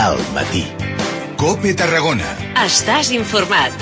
Al matí. COPE Tarragona. Estàs informat.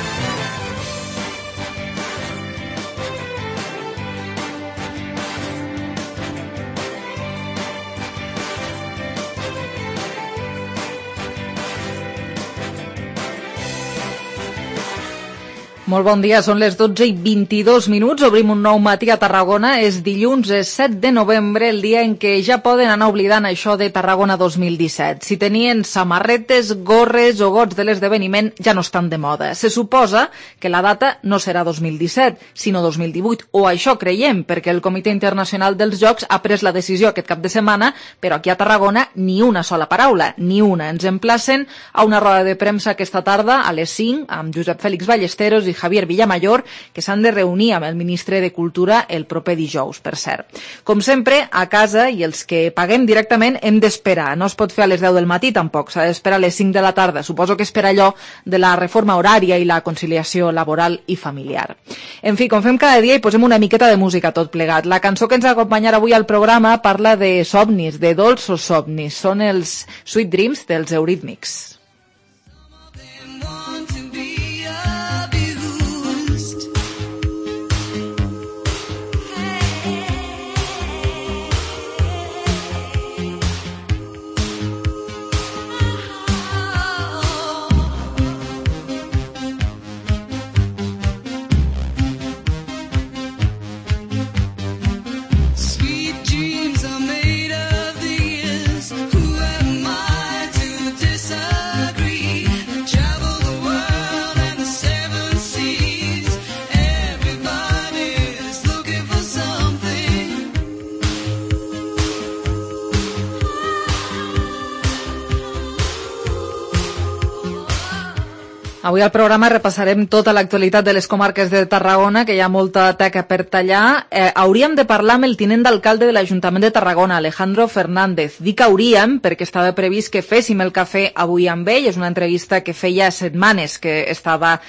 Molt bon dia, són les 12:22. Obrim un nou matí a Tarragona. És dilluns, és 7 de novembre, el dia en què ja poden anar oblidant això de Tarragona 2017. Si tenien samarretes, gorres o gots de l'esdeveniment, ja no estan de moda. Se suposa que la data no serà 2017, sinó 2018, o això creiem, perquè el Comitè Internacional dels Jocs ha pres la decisió aquest cap de setmana, però aquí a Tarragona ni una sola paraula, ni una. Ens emplacen a una roda de premsa aquesta tarda a les 5 amb Josep Fèlix Ballesteros i Javier Villamayor, que s'han de reunir amb el ministre de Cultura el proper dijous, per cert. Com sempre, a casa, i els que paguem directament, hem d'esperar. No es pot fer a les 10 del matí, tampoc. S'ha d'esperar a les 5 de la tarda. Suposo que espera allò de la reforma horària i la conciliació laboral i familiar. En fi, com fem cada dia, hi posem una miqueta de música tot plegat. La cançó que ens acompanyarà avui al programa parla de somnis, de dolços somnis. Són els Sweet Dreams dels Eurythmics. Avui al programa repassarem tota l'actualitat de les comarques de Tarragona, que hi ha molta teca per tallar. Hauríem de parlar amb el tinent d'alcalde de l'Ajuntament de Tarragona, Alejandro Fernández. Dic hauríem perquè estava previst que féssim el cafè avui amb ell. És una entrevista que feia setmanes que estava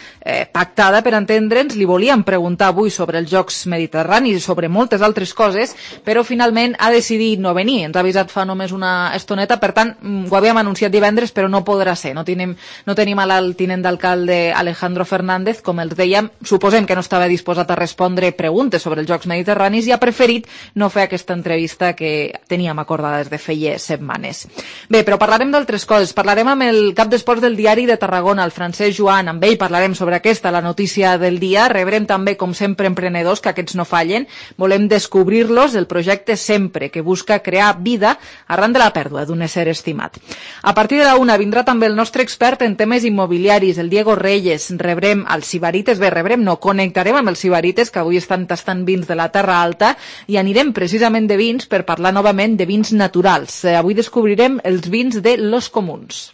pactada, per entendre'ns. Li volíem preguntar avui sobre els Jocs Mediterranis i sobre moltes altres coses, però finalment ha decidit no venir. Ens ha avisat fa només una estoneta, per tant, ho havíem anunciat divendres, però no podrà ser. No tenim al tinent d'alcalde Alejandro Fernández, com els dèiem, suposem que no estava disposat a respondre preguntes sobre els Jocs Mediterranis i ha preferit no fer aquesta entrevista que teníem acordada des de feia setmanes. Bé, però parlarem d'altres coses. Parlarem amb el cap d'esports del Diari de Tarragona, el Francesc Joan. Amb ell parlarem sobre aquesta, la notícia del dia. Rebrem també, com sempre, emprenedors, que aquests no fallen. Volem descobrir-los, el projecte Sempre, que busca crear vida arran de la pèrdua d'un ésser estimat. A partir de la 1 vindrà també el nostre expert en temes immobiliaris, el Diego Reyes. Rebrem els Sibarites, connectarem amb els Sibarites, que avui estan tastant vins de la Terra Alta, i anirem precisament de vins per parlar novament de vins naturals. Avui descobrirem els vins de Los Comuns.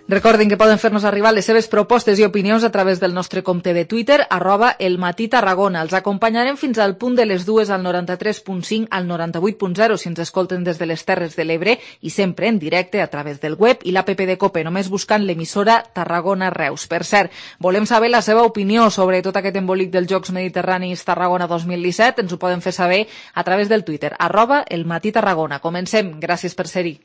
Recordin que poden fer-nos arribar les seves propostes i opinions a través del nostre compte de Twitter, @elmatí_Tarragona. Els acompanyarem fins al punt de les 2 al 93.5 al 98.0 si ens escolten des de les Terres de l'Ebre i sempre en directe a través del web i l'app de COPE, només buscant l'emissora Tarragona Reus. Per cert, volem saber la seva opinió sobre tot aquest embolic dels Jocs Mediterranis Tarragona 2017. Ens ho poden fer saber a través del Twitter, @elmatí_Tarragona. Comencem. Gràcies per ser-hi.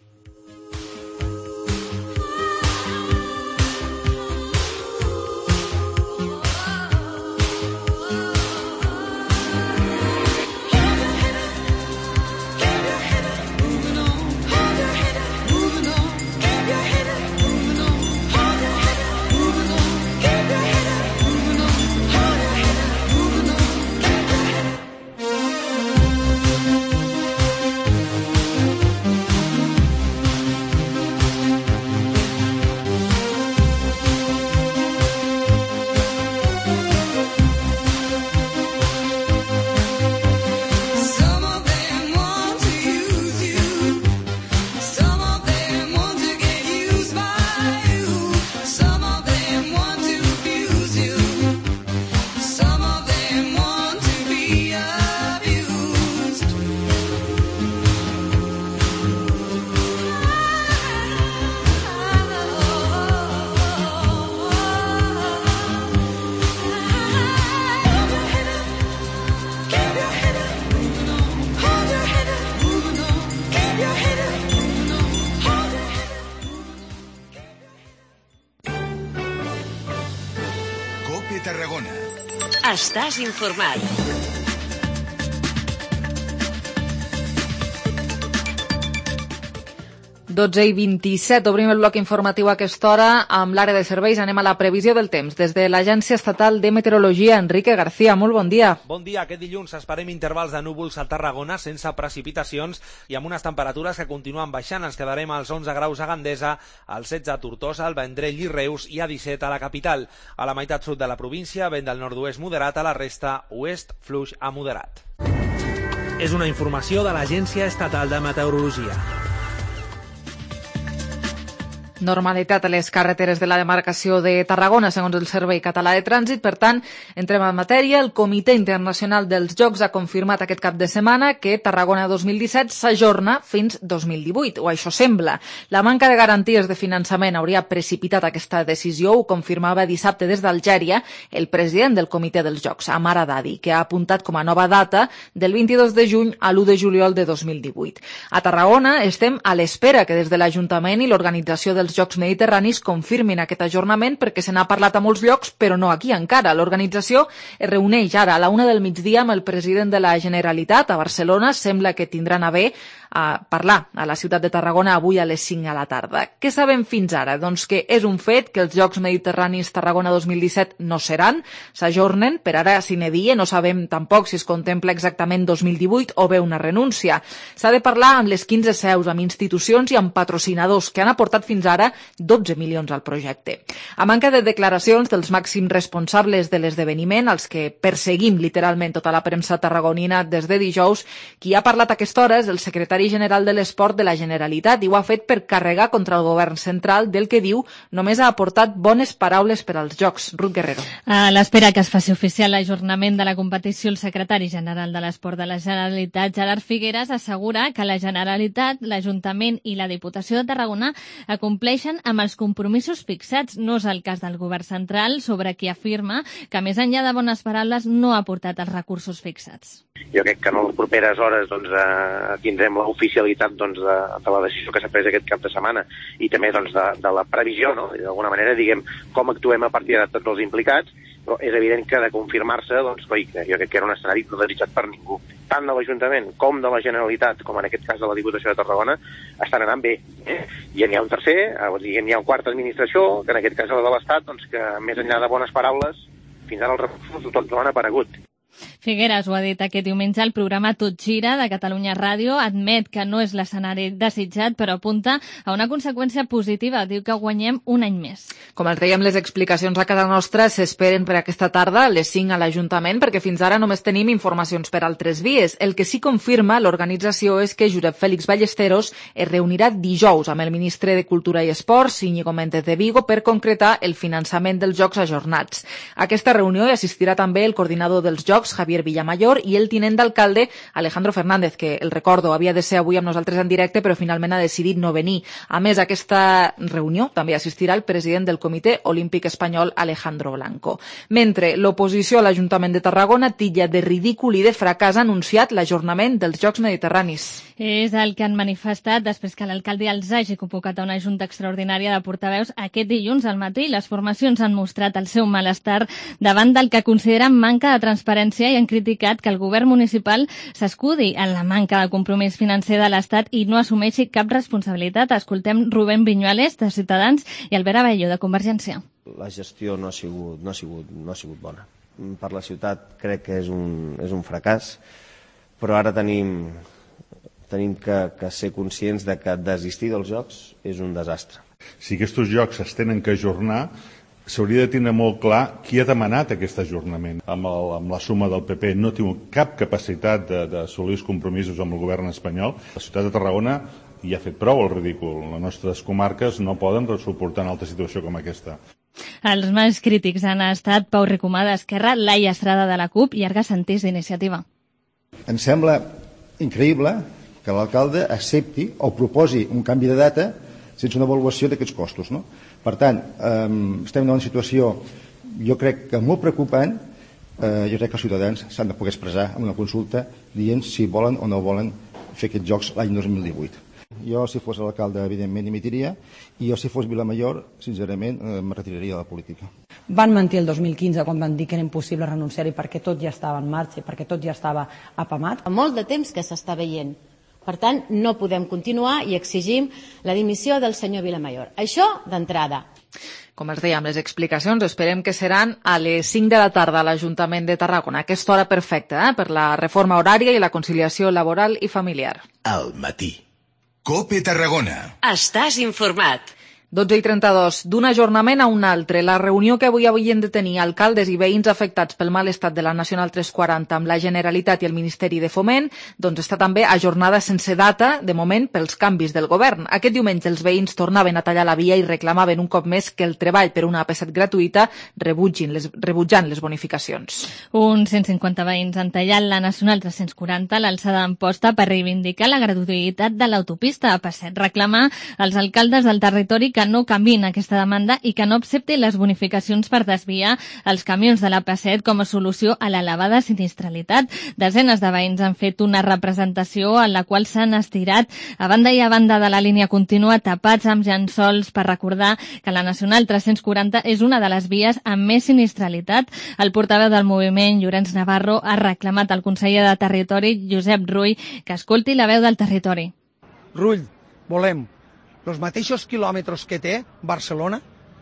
COPE Tarragona. Estàs informat. Dotze i 27, obrim el bloc informatiu a aquesta hora. Amb l'àrea de serveis anem a la previsió del temps. Des de l'Agència Estatal de Meteorologia, Enrique García, molt bon dia. Bon dia. Aquest dilluns esperem intervals de núvols a Tarragona sense precipitacions i amb unes temperatures que continuen baixant. Ens quedarem als 11 graus a Gandesa, als 16 a Tortosa, al Vendrell i Reus i a 17 a la capital. A la meitat sud de la província, vent del nord-oest moderat, a la resta oest fluix a moderat. És una informació de l'Agència Estatal de Meteorologia. Normalitat a les carreteres de la demarcació de Tarragona, segons el Servei Català de Trànsit. Per tant, entrem en matèria. El Comitè Internacional dels Jocs ha confirmat aquest cap de setmana que Tarragona 2017 s'ajorna fins 2018, o això sembla. La manca de garanties de finançament hauria precipitat aquesta decisió, ho confirmava dissabte des d'Algèria el president del Comitè dels Jocs, Amar Haddadi, que ha apuntat com a nova data del 22 de juny a l'1 de juliol de 2018. A Tarragona estem a l'espera que des de l'Ajuntament i l'organització dels Jocs Mediterranis confirmin aquest ajornament perquè se n'ha parlat a molts llocs, però no aquí encara. L'organització es reuneix ara a la 1 del migdia amb el president de la Generalitat a Barcelona. Sembla que tindran a bé a parlar a la ciutat de Tarragona avui a les 5 a la tarda. Què sabem fins ara? Doncs que és un fet que els Jocs Mediterranis Tarragona 2017 no seran, s'ajornen, per ara sine die, no sabem tampoc si es contempla exactament 2018 o bé una renúncia. S'ha de parlar amb les 15 seus, amb institucions i amb patrocinadors que han aportat fins ara 12 milions al projecte. A manca de declaracions dels màxims responsables de l'esdeveniment, els que perseguim literalment tota la premsa tarragonina des de dijous, qui ha parlat a aquesta hora és el secretari general de l'Esport de la Generalitat i ho ha fet per carregar contra el govern central del que diu només ha aportat bones paraules per als Jocs. Ruth Guerrero. A l'espera que es faci oficial l'ajornament de la competició, el secretari general de l'Esport de la Generalitat, Gerard Figueras, assegura que la Generalitat, l'Ajuntament i la Diputació de Tarragona compleixen amb els compromisos fixats. No és el cas del govern central, sobre qui afirma que més enllà de bones paraules no ha aportat els recursos fixats. Jo crec que en les properes hores tindrem l'oficialitat de la decisió que s'ha pres aquest cap de setmana i també de la previsió, no? D'alguna manera, diguem, com actuem a partir de tots els implicats, però és evident que de confirmar-se, jo crec que era un escenari no desitjat per ningú. Tant de l'Ajuntament com de la Generalitat, com en aquest cas de la Diputació de Tarragona, estan anant bé. I n'hi ha un tercer, n'hi ha una quarta administració, que en aquest cas és la de l'Estat, que més enllà de bones paraules, fins ara els recursos tots no han aparegut. Figueras ho ha dit aquest diumenge al programa Tot Gira de Catalunya Ràdio. Admet que no és l'escenari desitjat, però apunta a una conseqüència positiva. Diu que guanyem un any més. Com els dèiem, les explicacions a casa nostra s'esperen per aquesta tarda a les 5 a l'Ajuntament, perquè fins ara només tenim informacions per altres vies. El que sí confirma l'organització és que Josep Félix Ballesteros es reunirà dijous amb el ministre de Cultura i Esports, Íñigo Méndez de Vigo, per concretar el finançament dels Jocs ajornats. A aquesta reunió hi assistirà també el coordinador dels Jocs, Javier Villamayor, i el tinent d'alcalde Alejandro Fernández, que, el recordo, havia de ser avui amb nosaltres en directe, però finalment ha decidit no venir. A més, a aquesta reunió també assistirà el president del Comitè Olímpic Espanyol, Alejandro Blanco. Mentre l'oposició a l'Ajuntament de Tarragona titlla de ridícul i de fracàs ha anunciat l'ajornament dels Jocs Mediterranis. És el que han manifestat després que l'alcalde els hagi convocat a una junta extraordinària de portaveus aquest dilluns al matí. Les formacions han mostrat el seu malestar davant del que consideren manca de transparència i han criticat que el govern municipal s'escudi en la manca de compromís financer de l'Estat i no assumeixi cap responsabilitat. Escoltem Rubén Viñuales, de Ciutadans, i Albert Abello, de Convergència. La gestió no ha sigut bona. Per la ciutat crec que és un fracàs, però ara tenim que ser conscients de que desistir dels Jocs és un desastre. Si aquests Jocs es tenen que ajornar, s'hauria de tenir molt clar qui ha demanat aquest ajornament. Amb la suma del PP no té cap capacitat d'assolir els compromisos amb el govern espanyol. La ciutat de Tarragona hi ha fet prou el ridícul. Les nostres comarques no poden suportar una altra situació com aquesta. Els més crítics han estat Pau Ricomà d'Esquerra, Laia Estrada de la CUP i Arga Santís d'Iniciativa. Em sembla increïble que l'alcalde accepti o proposi un canvi de data sense una avaluació d'aquests costos, no? Per tant, estem en una situació, jo crec que molt preocupant. Jo crec que els ciutadans s'han de poder expressar en una consulta dient si volen o no volen fer aquests jocs l'any 2018. Jo, si fos l'alcalde, evidentment, dimitiria, i jo, si fos Villamayor, sincerament, me retiraria de la política. van mentir el 2015 quan van dir que era impossible renunciar-hi perquè tot ja estava en marxa, perquè tot ja estava apamat. Molt de temps que s'està veient. Per tant, no podem continuar i exigim la dimissió del senyor Vilamayor. Això d'entrada. Com els dèiem, les explicacions esperem que seran a les 5 de la tarda a l'Ajuntament de Tarragona. Aquesta hora perfecta per la reforma horària i la conciliació laboral i familiar. Al matí. COPE Tarragona. Estàs informat. 12:32. D'un ajornament a un altre. La reunió que avui havien de tenir alcaldes i veïns afectats pel mal estat de la Nacional 340 amb la Generalitat i el Ministeri de Foment doncs està també ajornada sense data, de moment, pels canvis del govern. Aquest diumenge els veïns tornaven a tallar la via i reclamaven un cop més que el treball per una AP7 gratuïta rebutjant les bonificacions. Uns 150 veïns han tallat la Nacional 340 l'alçada d'Amposta per reivindicar la gratuïtat de l'autopista AP7. Reclamar als alcaldes del territori que no canviïn aquesta demanda i que no accepti les bonificacions per desviar els camions de la AP7 com a solució a l'elevada sinistralitat. Desenes de veïns han fet una representació en la qual s'han estirat a banda i a banda de la línia contínua tapats amb llençols per recordar que la Nacional 340 és una de les vies amb més sinistralitat. El portaveu del moviment, Llorenç Navarro, ha reclamat al conseller de Territori, Josep Rull, que escolti la veu del territori. Rull, volem els mateixos quilòmetres que té Barcelona,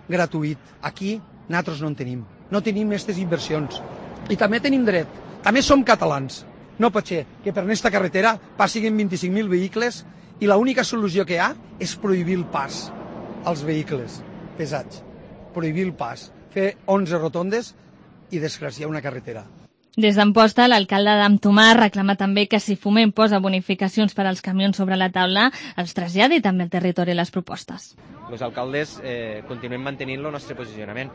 gratuït. Aquí nosaltres no en tenim. No tenim aquestes inversions. I també tenim dret. També som catalans. No pot ser que per aquesta carretera passin 25.000 vehicles i l'única solució que hi ha és prohibir el pas als vehicles pesats. Prohibir el pas. Fer 11 rotondes i desgraciar una carretera. Des d'Amposta, l'alcalde d'Amtomar reclama també que si Foment posa bonificacions per als camions sobre la taula, els traslladi també al territori les propostes. Els alcaldes continuem mantenint el nostre posicionament,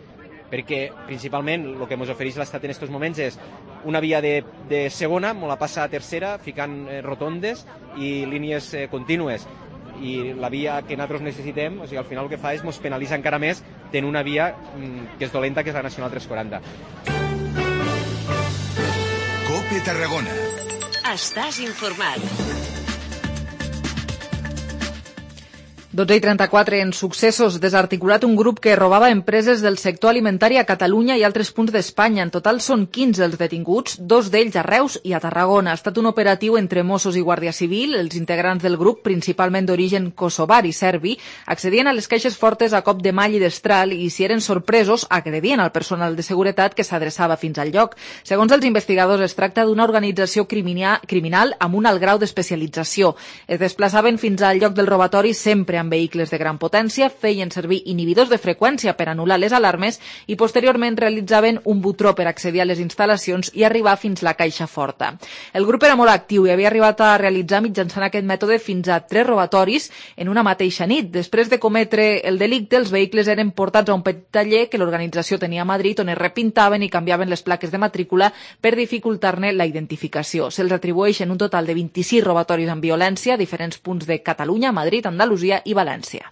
perquè principalment el que ens ofereix l'Estat en aquests moments és una via de segona, molt la passa a tercera, ficant rotondes i línies contínues. I la via que nosaltres necessitem, o sigui, al final el que fa és ens penalitza encara més tenir una via que és dolenta, que és la Nacional 340. COPE Tarragona. Estàs informat. 12:34. En successos, desarticulat un grup que robava empreses del sector alimentari a Catalunya i altres punts d'Espanya. En total són 15 els detinguts, 2 d'ells a Reus i a Tarragona. Ha estat un operatiu entre Mossos i Guàrdia Civil. Els integrants del grup, principalment d'origen kosovar i serbi, accedien a les caixes fortes a cop de mall i destral i, si eren sorpresos, agredien al personal de seguretat que s'adreçava fins al lloc. Segons els investigadors, es tracta d'una organització criminal amb un alt grau d'especialització. Es desplaçaven fins al lloc del robatori sempre amb vehicles de gran potència, feien servir inhibidors de freqüència per anul·lar les alarmes i posteriorment realitzaven un butró per accedir a les instal·lacions i arribar fins la caixa forta. El grup era molt actiu i havia arribat a realitzar mitjançant aquest mètode fins a 3 robatoris en una mateixa nit. Després de cometre el delicte, els vehicles eren portats a un petit taller que l'organització tenia a Madrid, on es repintaven i canviaven les plaques de matrícula per dificultar-ne la identificació. Se'ls atribueixen un total de 26 robatoris amb violència a diferents punts de Catalunya, Madrid, Andalusia i València.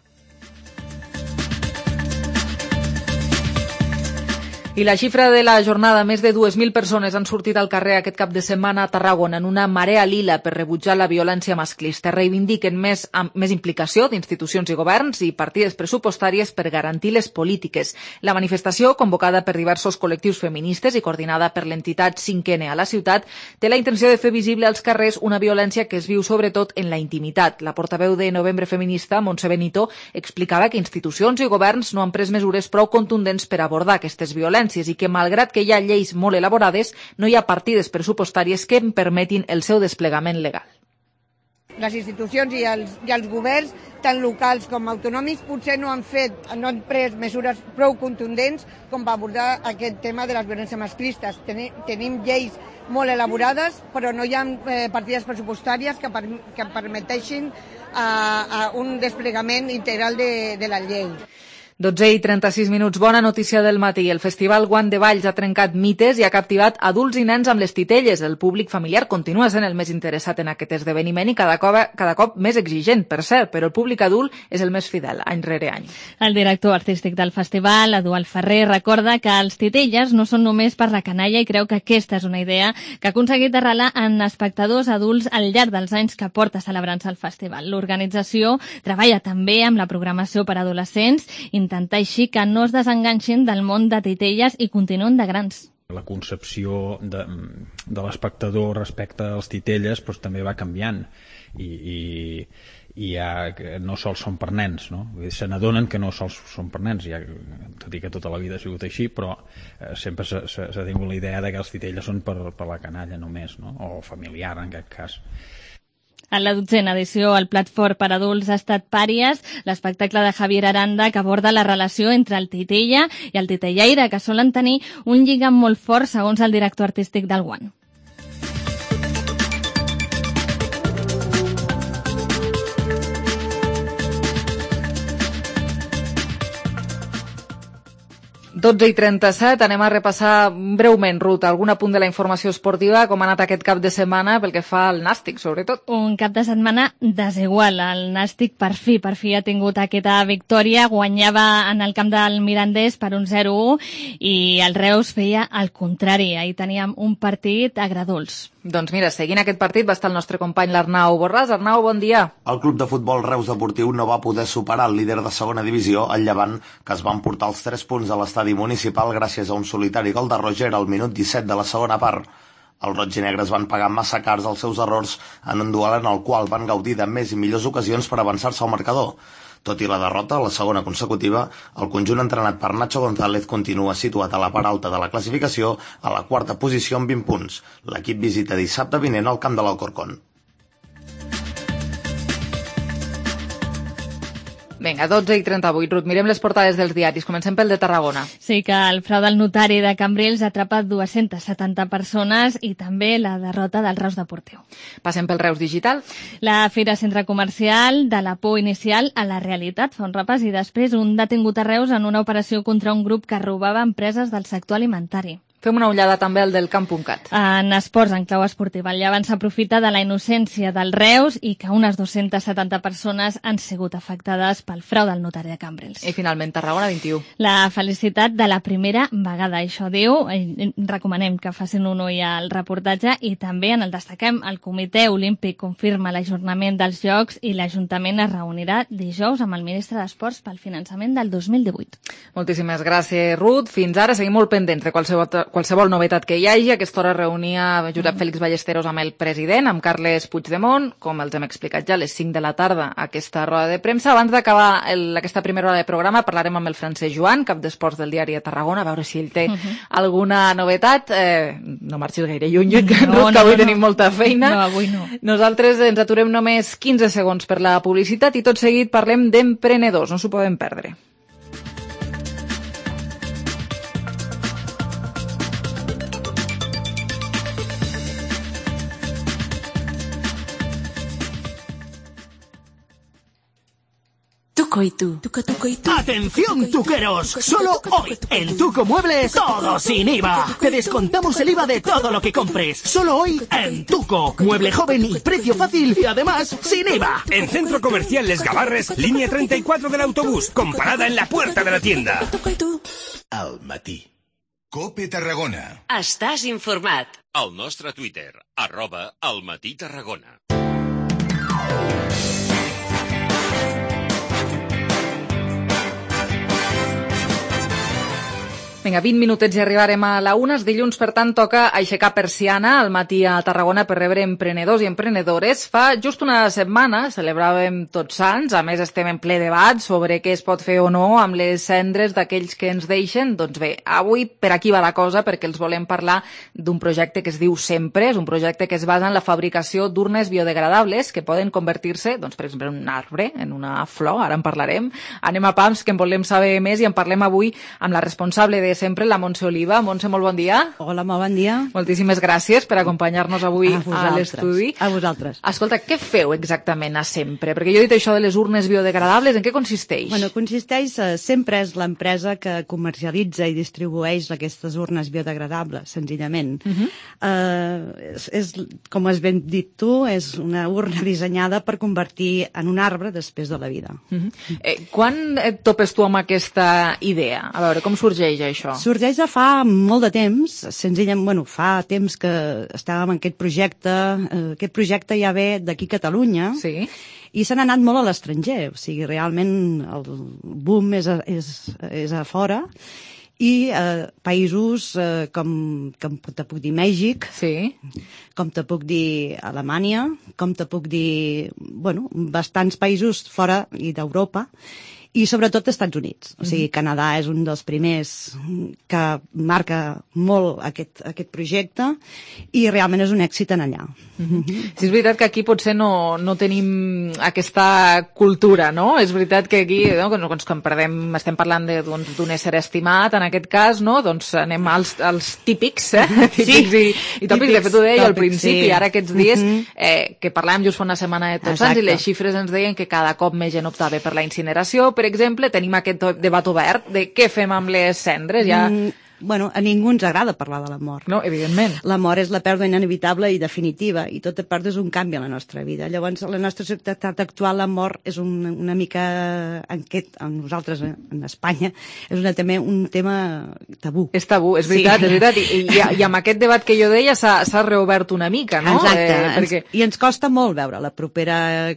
I la xifra de la jornada, més de 2.000 persones han sortit al carrer aquest cap de setmana a Tarragona en una marea lila per rebutjar la violència masclista. Reivindiquen més implicació d'institucions i governs i partides pressupostàries per garantir les polítiques. La manifestació, convocada per diversos col·lectius feministes i coordinada per l'entitat 5N a la ciutat, té la intenció de fer visible als carrers una violència que es viu sobretot en la intimitat. La portaveu de Novembre Feminista, Montse Benito, explicava que institucions i governs no han pres mesures prou contundents per abordar aquestes violències i que, malgrat que hi ha lleis molt elaborades, no hi ha partides pressupostàries que en permetin el seu desplegament legal. Les institucions i els governs, tant locals com autonòmics, potser no han pres mesures prou contundents com per abordar aquest tema de les violències masclistes. Tenim lleis molt elaborades, però no hi ha partides pressupostàries que permeteixin un desplegament integral de la llei. 12:36. Bona notícia del matí. El Festival Guant de Valls ha trencat mites i ha captivat adults i nens amb les titelles. El públic familiar continua sent el més interessat en aquest esdeveniment i cada cop més exigent, per cert, però el públic adult és el més fidel, any rere any. El director artístic del festival, Eduard Ferrer, recorda que els titelles no són només per la canalla i creu que aquesta és una idea que ha aconseguit arrelar en espectadors adults al llarg dels anys que porta celebrant-se el festival. L'organització treballa també amb la programació per adolescents, intentar així que no es desenganxin del món de titelles i continuen de grans. La concepció de l'espectador respecte als titelles també va canviant i ja no sols són per nens, no? Se n'adonen que no sols són per nens, ja, tot i que tota la vida ha sigut així, però sempre s'ha tingut la idea que els titelles són per la canalla només, no? O familiar en aquest cas. En la 12a edició, el plat fort per adults ha estat Pàries, l'espectacle de Javier Aranda que aborda la relació entre el titella i el titellaire, que solen tenir un lligam molt fort segons el director artístic del Guant. Dotze i 37, anem a repassar breument, Ruth, algun apunt de la informació esportiva, com ha anat aquest cap de setmana pel que fa al Nàstic, sobretot. Un cap de setmana desigual. El Nàstic per fi ha tingut aquesta victòria, guanyava en el camp del Mirandés per un 0-1 i el Reus feia el contrari. Ahir teníem un partit agredolç. Doncs mira, seguint aquest partit va estar el nostre company l'Arnau Borràs. Arnau, bon dia. El club de futbol Reus Deportiu no va poder superar el líder de segona divisió, el Llevant, que es va emportar els 3 punts a l'estadi municipal gràcies a un solitari gol de Roger al minut 17 de la segona part. Els roig i negres van pagar massa cars els seus errors en un duel en el qual van gaudir de més i millors ocasions per avançar-se al marcador. Tot i la derrota, la segona consecutiva, el conjunt entrenat per Nacho González continua situat a la part alta de la classificació, a la 4a posició amb 20 punts. L'equip visita dissabte vinent al camp de l'Alcorcón. Vinga, 12 i 38, Ruth, mirem les portades dels diaris. Comencem pel de Tarragona. Sí, que el frau del notari de Cambrils atrapa 270 persones i també la derrota del Reus Deportiu. Passem pel Reus Digital. La Fira Centre Comercial, de la por inicial a la realitat, fa un repàs, i després un detingut a Reus en una operació contra un grup que robava empreses del sector alimentari. Fem una ullada també al del camp.cat. En esports, en clau esportiva, el Llevant s'aprofita de la innocència del Reus i que unes 270 persones han sigut afectades pel frau del notari de Cambrils. I finalment, Tarragona 21. La felicitat de la primera vegada, això diu. Recomanem que facin un ull al reportatge i també en el destaquem. El Comitè Olímpic confirma l'ajornament dels Jocs i l'Ajuntament es reunirà dijous amb el ministre d'Esports pel finançament del 2018. Moltíssimes gràcies, Ruth. Fins ara seguim molt pendents de qualsevol novetat que hi hagi. A aquesta hora reunia Josep Félix Ballesteros amb el president, amb Carles Puigdemont, com els hem explicat ja, a les 5 de la tarda, aquesta roda de premsa. Abans d'acabar aquesta primera hora de programa parlarem amb el Francesc Joan, cap d'esports del diari de Tarragona, a veure si ell té alguna novetat. No marxis gaire lluny, que avui tenim molta feina. No, avui no. Nosaltres ens aturem només 15 segons per la publicitat i tot seguit parlem d'emprenedors, no s'ho podem perdre. Tuco y tú. ¡Atención, tuqueros! Solo hoy, en Tuco Muebles, todo sin IVA. Te descontamos el IVA de todo lo que compres. Solo hoy, en Tuco. Mueble joven y precio fácil y además, sin IVA. En Centro Comercial Les Gavarres, línea 34 del autobús, con parada en la puerta de la tienda. Al matí. COPE Tarragona. Estàs informat. Al nostre Twitter, @almatí-tarragona. Vinga, 20 minutets i arribarem a la 1. Dilluns, per tant, toca aixecar persiana al matí a Tarragona per rebre emprenedors i emprenedores. Fa just una setmana celebràvem Tots Sants, a més estem en ple debat sobre què es pot fer o no amb les cendres d'aquells que ens deixen. Doncs bé, avui per aquí va la cosa, perquè els volem parlar d'un projecte que es diu Sempre. És un projecte que es basa en la fabricació d'urnes biodegradables que poden convertir-se, doncs, per exemple, en un arbre, en una flor, ara en parlarem. Anem a pams, que en volem saber més, i en parlem avui amb la responsable de Sempre, la Montse Oliva. Montse, molt bon dia. Hola, molt bon dia. Moltíssimes gràcies per acompanyar-nos avui a l'estudi. A vosaltres. Escolta, què feu exactament a Sempre? Perquè jo he dit això de les urnes biodegradables, en què consisteix? Bueno, consisteix, Sempre és l'empresa que comercialitza i distribueix aquestes urnes biodegradables, senzillament. És, com has ben dit tu, és una urna dissenyada per convertir en un arbre després de la vida. Quan et topes tu amb aquesta idea? A veure, com sorgeix això? això? Sorgeix de fa molt de temps, senzillament, fa temps que estàvem en aquest projecte ja ve d'aquí a Catalunya, i s'han anat molt a l'estranger, o sigui, realment el boom és a fora, i països com te puc dir Mèxic, com te puc dir Alemanya, com te puc dir, bastants països fora i d'Europa, i sobretot Estats Units. O sigui, Canadà és un dels primers que marca molt aquest projecte i realment és un èxit en allà. Sí, és veritat que aquí potser no tenim aquesta cultura, no? És veritat que aquí, estem parlant d'un ésser estimat, en aquest cas, no? Doncs anem als típics, típics i tòpics. De fet, ho deia al principi, ara aquests dies, que parlàvem just fa una setmana de Tots Sants i les xifres ens deien que cada cop més gent optava per la incineració. Per exemple, tenim aquest debat obert de què fem amb les cendres. A ningú ens agrada parlar de la mort. No, evidentment. La mort és la pèrdua inevitable i definitiva, i tota pèrdua és un canvi a la nostra vida. Llavors, la nostra societat actual, la mort és una mica, en nosaltres, en Espanya, és també un tema tabú. És tabú, és veritat, és veritat. I amb aquest debat que jo deia s'ha reobert una mica, no? Exacte, i ens costa molt veure la propera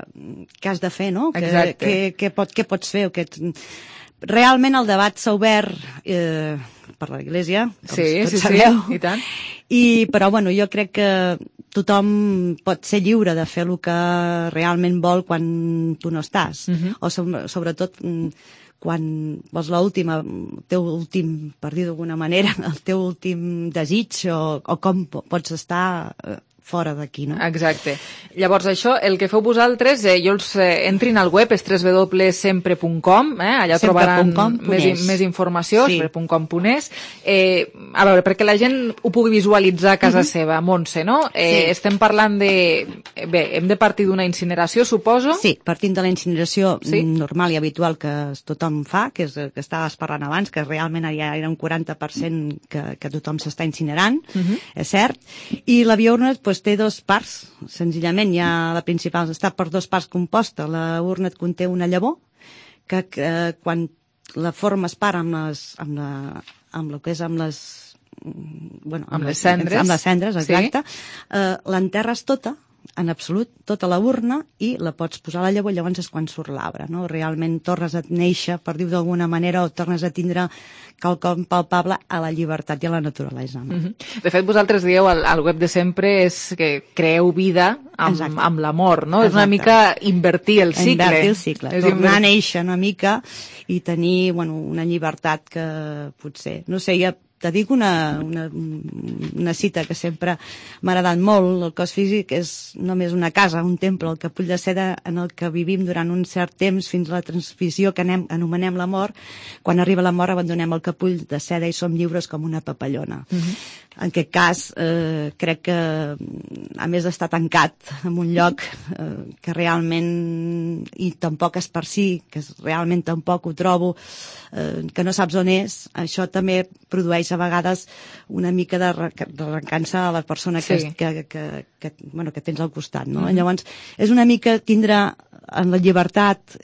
què has de fer, no? Què pots fer? Realment el debat s'ha obert per l'Església, com tots sabeu. I tant. Però jo crec que tothom pot ser lliure de fer el que realment vol quan tu no estàs. O sobretot quan vols teu últim, per dir d'alguna manera, el teu últim desig o com pots estar fora d'aquí, no? Exacte. Llavors, això, el que feu vosaltres, jo els entrin al web, és www.sempre.com, allà trobaran més informació, sempre.com.es. A veure, perquè la gent ho pugui visualitzar a casa seva, Montse, no? Estem parlant de... Bé, hem de partir d'una incineració, suposo? Sí, partint de la incineració normal i habitual que tothom fa, que és que estaves parlant abans, que realment ja era un 40% que tothom s'està incinerant, és cert, i la biourna té dos parts, senzillament. La principal està per dos parts composta. La urna et conté una llavor que quan la formes part amb les cendres, exacte, l'enterres tota, en absolut, tota la urna, i la pots posar a la llavor, llavors és quan surt l'arbre, no? Realment tornes a néixer, per dir-ho d'alguna manera, o tornes a tindre quelcom palpable a la llibertat i a la naturalesa. De fet, vosaltres dieu al web de Sempre és que creeu vida amb la mort, no? És una mica invertir el cicle. Invertir el cicle, tornar a néixer una mica i tenir una llibertat que potser, no sé, te dic una cita que sempre m'ha agradat molt. El cos físic és només una casa, un temple, el capull de seda en el que vivim durant un cert temps fins a la transició que anomenem la mort. Quan arriba la mort abandonem el capull de seda i som lliures com una papallona. En aquest cas, crec que, a més d'estar tancat en un lloc que realment, i tampoc és per si, que realment tampoc ho trobo, que no saps on és, això també produeix a vegades una mica de recança a la persona que tens al costat, no? Llavors, és una mica tindre en la llibertat,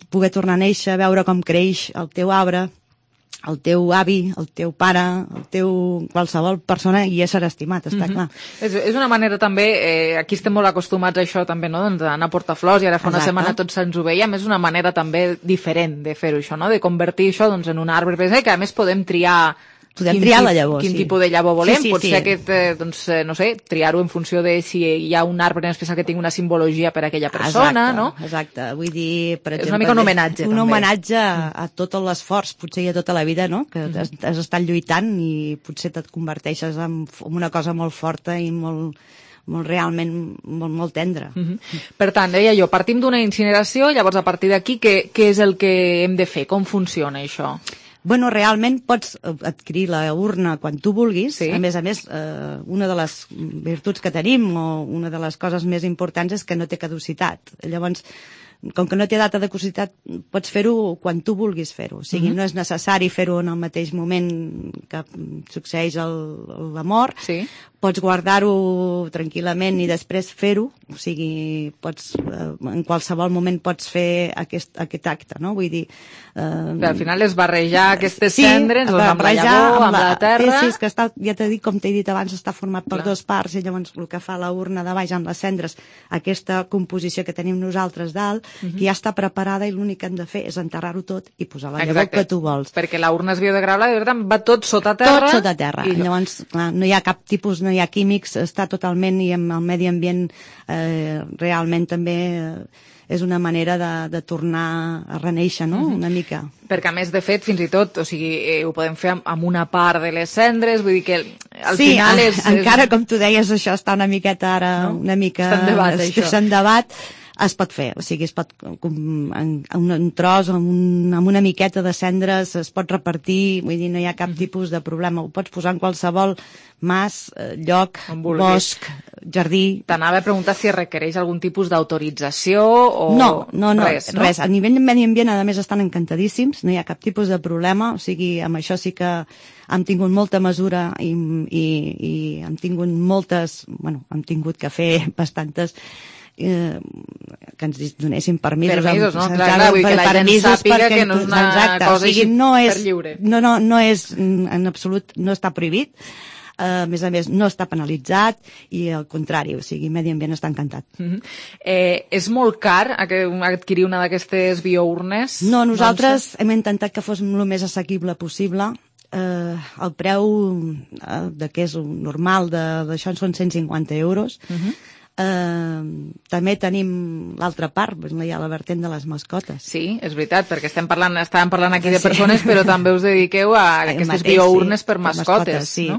poder tornar a néixer, veure com creix el teu arbre, el teu avi, el teu pare, el teu qualsevol persona i ésser estimat, està clar. És una manera també, aquí estem molt acostumats a això també, no? D'anar a portar flors, i ara fa una setmana tots ens ho veiem, és una manera també diferent de fer-ho això, no? De convertir això en un arbre, que a més podem triar la llavor, quin tipus de llavor volem, pot ser aquest, no sé, triar-ho en funció de si hi ha un arbre en especial que tingui una simbologia per a aquella persona, no? Exacte, vull dir, per exemple... És una mica un homenatge, també. Un homenatge a tot l'esforç, potser i a tota la vida, no? Que has estat lluitant i potser et converteixes en una cosa molt forta i molt tendre. Per tant, deia jo, partim d'una incineració, llavors a partir d'aquí què és el que hem de fer? Com funciona això? Realment pots adquirir la urna quan tu vulguis. A més, una de les virtuts que tenim, o una de les coses més importants, és que no té caducitat. Llavors, com que no té data de caducitat, pots fer-ho quan tu vulguis fer-ho. O sigui, no és necessari fer-ho en el mateix moment que succeeix la mort. pots guardar-ho tranquil·lament i després fer-ho, o sigui, en qualsevol moment pots fer aquest acte, no? Vull dir... Al final és barrejar aquestes cendres amb la llavor, amb la terra... Sí, és que ja t'he dit, com t'he dit abans, està format per dues parts, i llavors el que fa la urna de baix amb les cendres, aquesta composició que tenim nosaltres dalt, que ja està preparada i l'únic que hem de fer és enterrar-ho tot i posar la llavor que tu vols. Perquè la urna és biodegradable, de veritat, va tot sota terra. Tot sota terra. I llavors, clar, no hi ha cap tipus, no hi ha químics, està totalment, i amb el medi ambient realment també és una manera de tornar a reneixer, no?, una mica. Perquè, a més, de fet, fins i tot, o sigui, ho podem fer amb una part de les cendres, vull dir que al final és... Sí, encara, com tu deies, això està una miqueta ara, una mica... Està en debat, això. Està en debat, es pot fer, o sigui, es pot, un tros, amb una miqueta de cendres, es pot repartir, vull dir, no hi ha cap tipus de problema, ho pots posar en qualsevol mas, lloc, bosc, jardí... T'anava a preguntar si requereix algun tipus d'autorització o... No, res. A nivell de medi ambient, a més, estan encantadíssims, no hi ha cap tipus de problema, o sigui, amb això sí que hem tingut molta mesura i hem tingut hem tingut que fer bastantes que ens donessin permisos, no? Clar, vull que la gent sàpiga que no és una cosa així per lliure. No és, en absolut, no està prohibit. A més, no està penalitzat i al contrari, o sigui, Medi Ambient està encantat. És molt car adquirir una d'aquestes biournes? No, nosaltres hem intentat que fos el més assequible possible. El preu que és normal d'això són 150 euros. També tenim l'altra part, hi ha la vertent de les mascotes. Sí, és veritat, perquè estàvem parlant aquí de persones, però també us dediqueu a aquestes biournes per mascotes. Sí,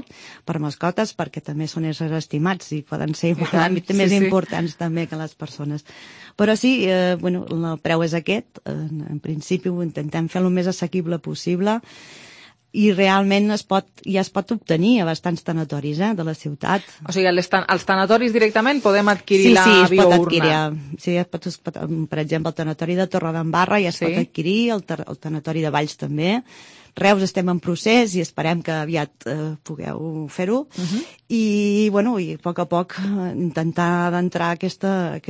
per mascotes, perquè també són éssers estimats i poden ser més importants també que les persones. Però sí, el preu és aquest, en principi ho intentem fer el més assequible possible, i realment ja es pot obtenir a bastants tanatoris de la ciutat. O sigui, als tanatoris directament podem adquirir la biourna? Sí, es pot adquirir. Sí, per exemple, el tanatori de Torredembarra ja es pot adquirir, el tanatori de Valls també. Reus estem en procés i esperem que aviat pugueu fer-ho. I a poc intentar d'entrar aquesta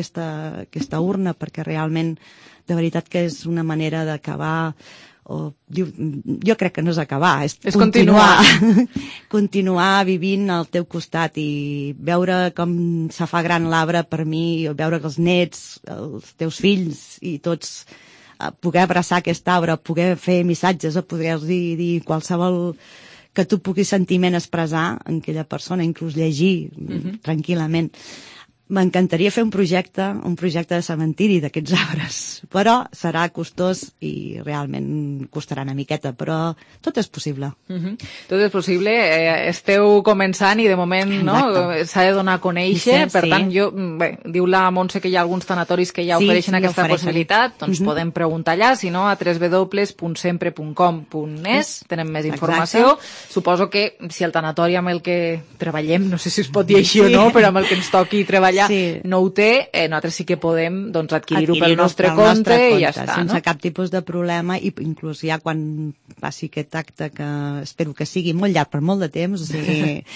urna, perquè realment, de veritat que és una manera d'acabar... jo crec que no és acabar, és continuar vivint al teu costat i veure com se fa gran l'arbre per mi, veure que els nets, els teus fills i tots poder abraçar aquest arbre, poder fer missatges, poder-los dir qualsevol que tu puguis sentiment expressar en aquella persona, inclús llegir tranquil·lament. M'encantaria fer un projecte de cementiri d'aquests arbres, però serà costós i realment costarà una miqueta, però tot és possible. Tot és possible, esteu començant i de moment s'ha de donar a conèixer, per tant, diu la Montse que hi ha alguns tanatoris que ja ofereixen aquesta possibilitat, doncs podem preguntar allà, si no a www.sempre.com.es tenen més informació. Suposo que si el tanatori amb el que treballem, no sé si es pot dir així o no, però amb el que ens toqui treballar no ho té, nosaltres sí que podem adquirir-ho pel nostre compte i ja està. Sense cap tipus de problema, i inclús ja quan passi aquest acte, que espero que sigui molt llarg per molt de temps, o sigui...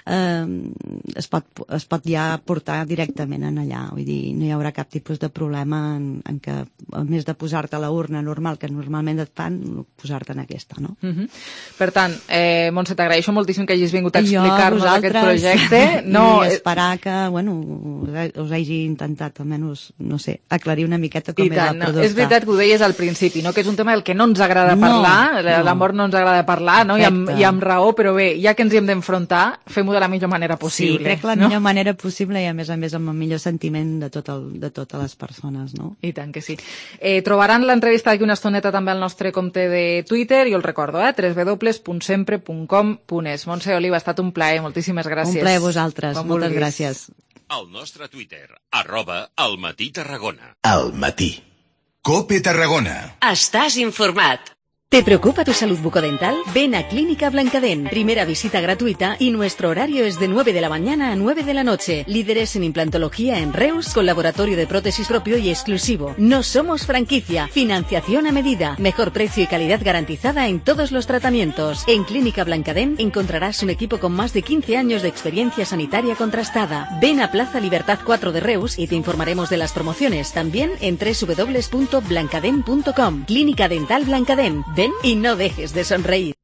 es pot ja portar directament en allà, vull dir, no hi haurà cap tipus de problema en que, a més de posar-te a la urna normal que normalment et fan, posar-te en aquesta, no? Per tant, Montse, t'agraeixo moltíssim que hagis vingut a explicar-nos aquest projecte. I esperar que, us hagi intentat, almenys, no sé, aclarir una miqueta com és el producte. És veritat que ho deies al principi, que és un tema del que no ens agrada parlar, l'amor no ens agrada parlar, i amb raó, però bé, ja que ens hi hem d'enfrontar, fem-ho de la millor manera possible. Sí, crec que la millor manera possible i a més amb el millor sentiment de totes les persones, no? I tant que sí. Trobaran l'entrevista d'aquí una estoneta també al nostre compte de Twitter, i us recordo, www.sempre.com.es. Montse Oliva, ha estat un plaer, moltíssimes gràcies. Un plaer a vosaltres, moltes gràcies. Al nostre Twitter, @almatí Tarragona. Al matí. COPE Tarragona. Estàs informat. ¿Te preocupa tu salud bucodental? Ven a Clínica Blancadent. Primera visita gratuita y nuestro horario es de 9 de la mañana a 9 de la noche. Líderes en implantología en Reus, con laboratorio de prótesis propio y exclusivo. No somos franquicia. Financiación a medida. Mejor precio y calidad garantizada en todos los tratamientos. En Clínica Blancadent encontrarás un equipo con más de 15 años de experiencia sanitaria contrastada. Ven a Plaza Libertad 4 de Reus y te informaremos de las promociones. También en www.blancadent.com. Clínica Dental Blancadent. Ven y no dejes de sonreír.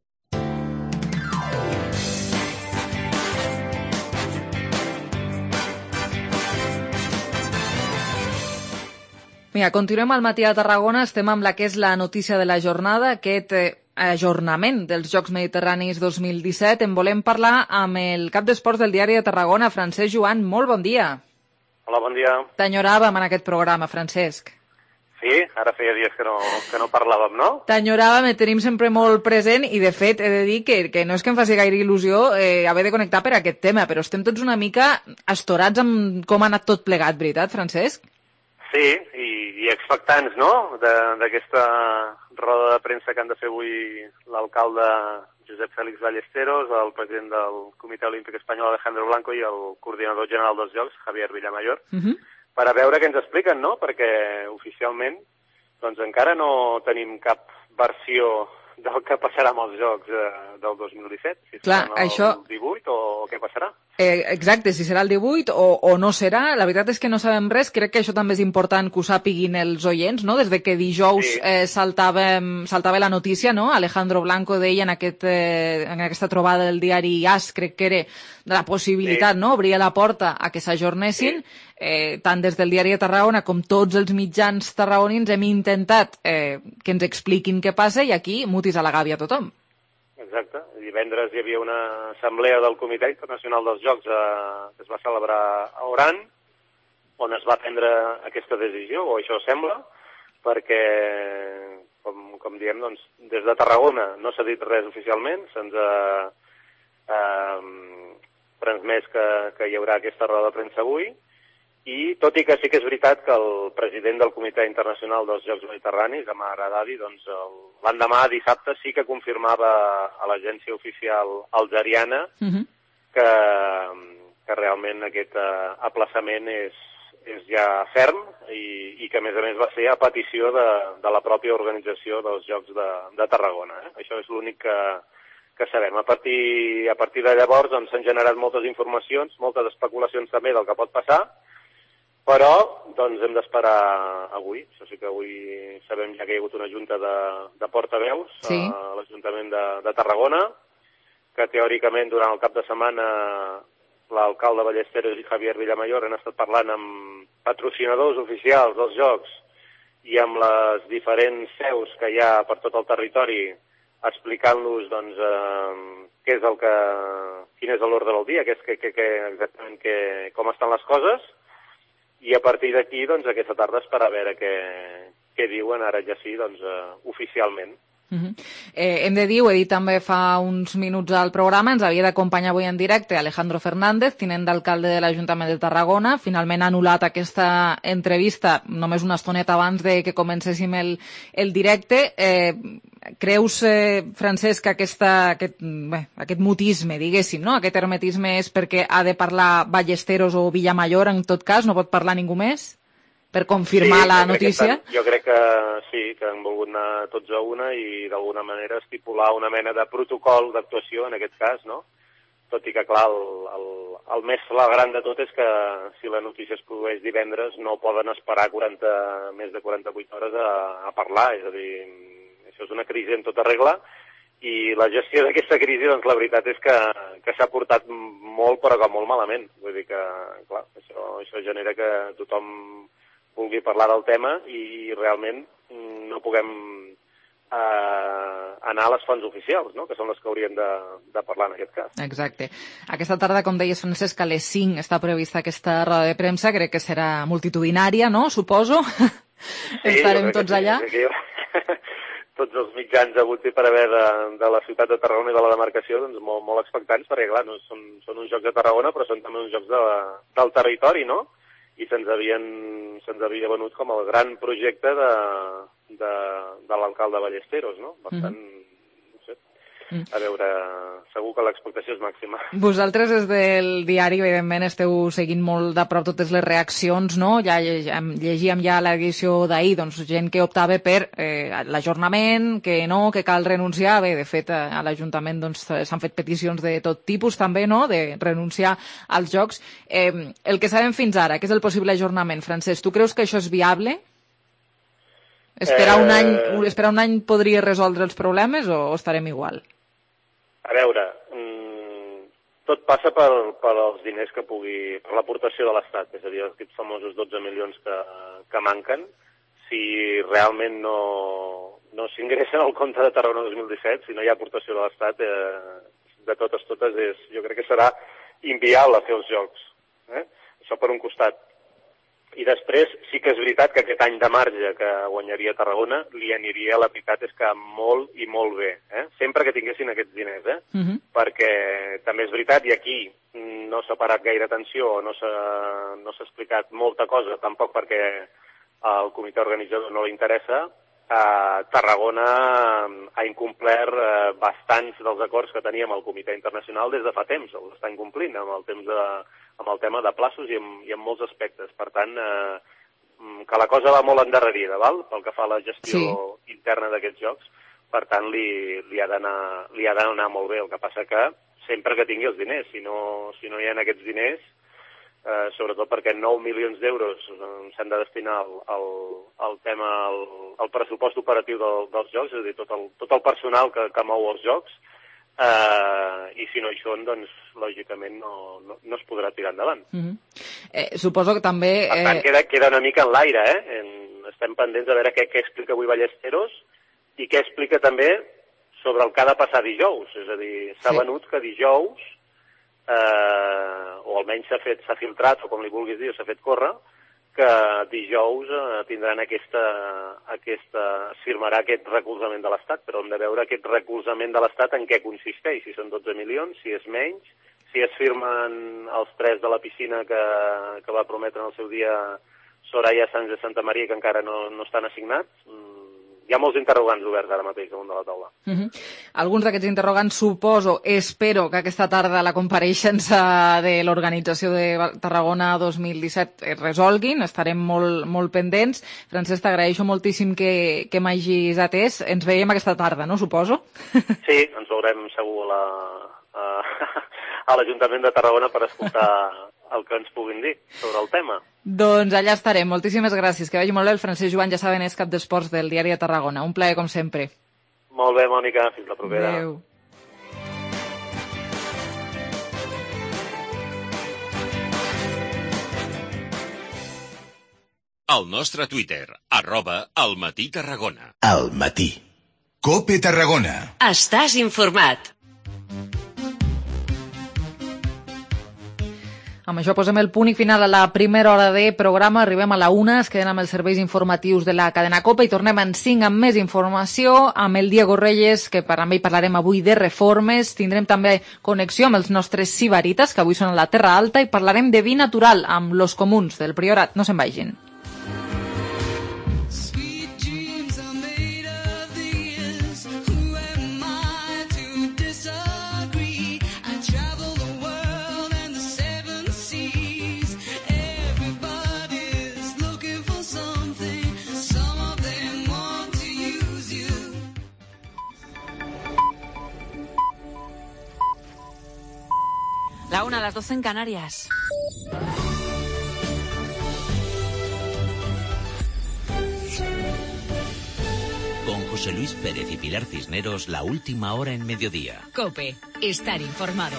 Mira, continuem al matí a Tarragona, estem amb la que és la notícia de la jornada, aquest ajornament dels Jocs Mediterranis 2017. En volem parlar amb el cap d'esports del Diari de Tarragona, Francesc Joan. Molt bon dia. Hola, bon dia. T'enyoràvem en aquest programa, Francesc. Sí, ara feia dies que no parlàvem, no? T'enyoràvem, et tenim sempre molt present i, de fet, he de dir que no és que em faci gaire il·lusió haver de connectar per aquest tema, però estem tots una mica astorats amb com ha anat tot plegat, veritat, Francesc? Sí, i expectants, no?, d'aquesta roda de premsa que han de fer avui l'alcalde Josep Félix Ballesteros, el president del Comitè Olímpic Espanyol Alejandro Blanco i el coordinador general dels Jocs, Javier Villamayor, per a veure què ens expliquen, no?, perquè oficialment doncs encara no tenim cap versió del que passarà amb els Jocs del 2017, si Clar, serà el 18 o què passarà. Exacte, si serà el 18 o no serà. La veritat és que no sabem res. Crec que això també és important que ho sàpiguin els oients, no? Des de que dijous saltava la notícia, no? Alejandro Blanco deia en aquesta trobada del diari AS, crec que era, de la possibilitat, no? Obria la porta a que s'ajornessin. Tant des del Diari de Tarragona com tots els mitjans tarragonins hem intentat que ens expliquin què passa i aquí mutis a la gàbia tothom. Exacte. Divendres hi havia una assemblea del Comitè Internacional dels Jocs que es va celebrar a Oran, on es va prendre aquesta decisió, o això sembla, perquè, com diem, doncs, des de Tarragona no s'ha dit res oficialment, se'ns ha transmès que hi haurà aquesta roda de premsa avui, i tot i que sí que és veritat que el president del Comitè Internacional dels Jocs Mediterranis, Amar Haddadi, doncs l'endemà, dissabte, sí que confirmava a l'agència oficial algeriana que realment aquest aplaçament és ja ferm i que, a més, va ser a petició de la pròpia organització dels Jocs de Tarragona. Això és l'únic que sabem. A partir de llavors doncs, s'han generat moltes informacions, moltes especulacions també del que pot passar, però doncs, hem d'esperar avui. Això sí que avui sabem ja que hi ha hagut una junta de portaveus a l'Ajuntament de Tarragona, que teòricament durant el cap de setmana l'alcalde Ballesteros i Javier Villamayor han estat parlant amb patrocinadors oficials dels Jocs i amb les diferents seus que hi ha per tot el territori, explicant-los doncs, quin és l'ordre del dia, exactament com estan les coses, i a partir d'aquí, doncs, aquesta tarda esperar a veure què diuen ara ja sí, doncs, oficialment. Hem de dir, ho he dit també fa uns minuts al programa, ens havia d'acompanyar avui en directe Alejandro Fernández, tinent d'alcalde de l'Ajuntament de Tarragona. Finalment ha anul·lat aquesta entrevista només una estoneta abans de que comencéssim el directe. Creus, Francesc, que aquest mutisme, diguéssim, no? Aquest hermetisme és perquè ha de parlar Ballesteros o Villamayor, en tot cas, no pot parlar ningú més? Per confirmar la notícia? Jo crec que sí, que han volgut anar tots a una i d'alguna manera estipular una mena de protocol d'actuació en aquest cas, no? Tot i que, clar, el més flagrant de tot és que si la notícia es produeix divendres no poden esperar més de 48 hores a parlar, és a dir, això és una crisi en tota regla i la gestió d'aquesta crisi, doncs la veritat és que s'ha portat molt, però que molt malament. Vull dir que, clar, això genera que tothom vulgui parlar del tema i realment no puguem anar a les fonts oficials, no?, que són les que haurien de parlar en aquest cas. Exacte. Aquesta tarda, com deies, Francesc, a les 5 està prevista aquesta roda de premsa, crec que serà multitudinària, no?, suposo? Sí, estarem tots allà. Tots els mitjans hagut per haver de la ciutat de Tarragona i de la demarcació, doncs molt expectants, perquè clar, no, són uns Jocs de Tarragona, però són també uns Jocs del territori, no? I se'ns havia venut com el gran projecte de l'alcalde Ballesteros, no? Per tant, no sé, a veure, segur que l'expectació és màxima. Vosaltres des del diari, evidentment, esteu seguint molt de prop totes les reaccions, no? Ja llegíem ja l'edició d'ahir, doncs, gent que optava per l'ajornament, que no, que cal renunciar. Bé, de fet, a l'Ajuntament doncs, s'han fet peticions de tot tipus, també, no?, de renunciar als Jocs. El que sabem fins ara, que és el possible ajornament, Francesc, tu creus que això és viable? Esperar un any podria resoldre els problemes o estarem igual? A veure, tot passa per els diners que pugui, per l'aportació de l'Estat, és a dir, aquests famosos 12 milions que manquen. Si realment no s'ingressen al compte de Tarragona 2017, si no hi ha aportació de l'Estat, de totes, jo crec que serà inviable fer els Jocs. Això per un costat. I després sí que és veritat que aquest any de marge que guanyaria Tarragona li aniria, la veritat és que molt i molt bé, sempre que tinguessin aquests diners, perquè també és veritat, i aquí no s'ha parat gaire atenció, no s'ha explicat molta cosa, tampoc perquè al comitè organitzador no li interessa. Tarragona ha incomplert bastants dels acords que teníem al comitè internacional des de fa temps, els està incomplint amb el tema de plaços i en molts aspectes. Per tant, que la cosa va molt endarrerida, val? Pel que fa a la gestió interna d'aquests jocs, per tant, li ha d'anar molt bé. El que passa que sempre que tingui els diners, si no hi ha aquests diners, sobretot perquè 9 milions d'euros s'han de destinar al tema, al pressupost operatiu dels jocs, és a dir, tot el personal que mou els jocs, i si no hi són, doncs, lògicament no es podrà tirar endavant. Suposo que també... Per tant, queda una mica en l'aire, Estem pendents de veure què explica avui Ballesteros i què explica també sobre el que ha de passar dijous. És a dir, s'ha venut que dijous, o almenys s'ha filtrat, o com li vulguis dir, s'ha fet córrer, que dijous tindran firmarà aquest recolzament de l'Estat, però hem de veure aquest recolzament de l'Estat en què consisteix, si són 12 milions, si és menys, si es firmen els 3 de la piscina que va prometre en el seu dia Soraya Sanz de Santa Maria, que encara no estan assignats. Hi ha molts interrogants oberts ara mateix damunt de la taula. Alguns d'aquests interrogants, espero que aquesta tarda la compareixença de l'organització de Tarragona 2017 es resolguin, estarem molt pendents. Francesc, t'agraeixo moltíssim que m'hagis atès. Ens veiem aquesta tarda, no, suposo? Sí, ens veurem segur a l'Ajuntament de Tarragona per escoltar el que ens puguin dir sobre el tema. Doncs allà estarem. Moltíssimes gràcies. Que vagi molt bé. El Francesc Joan, ja saben, és cap d'esports del Diari de Tarragona. Un plaer, com sempre. Molt bé, Mònica. Fins la propera. Adéu. El nostre Twitter, @almatí-tarragona. Al matí. COPE Tarragona. Estàs informat. Amb això posem el punt i final a la primera hora de programa. Arribem a la 1, es queden amb els serveis informatius de la cadena COPE i tornem en 5 amb més informació, amb el Diego Reyes, que amb ell parlarem avui de reformes. Tindrem també connexió amb els nostres sibarites, que avui són a la Terra Alta, i parlarem de vi natural amb los comuns del Priorat. No se'n vagin. La 1, las 12 en Canarias. Con José Luis Pérez y Pilar Cisneros, la última hora en mediodía. COPE, estar informado.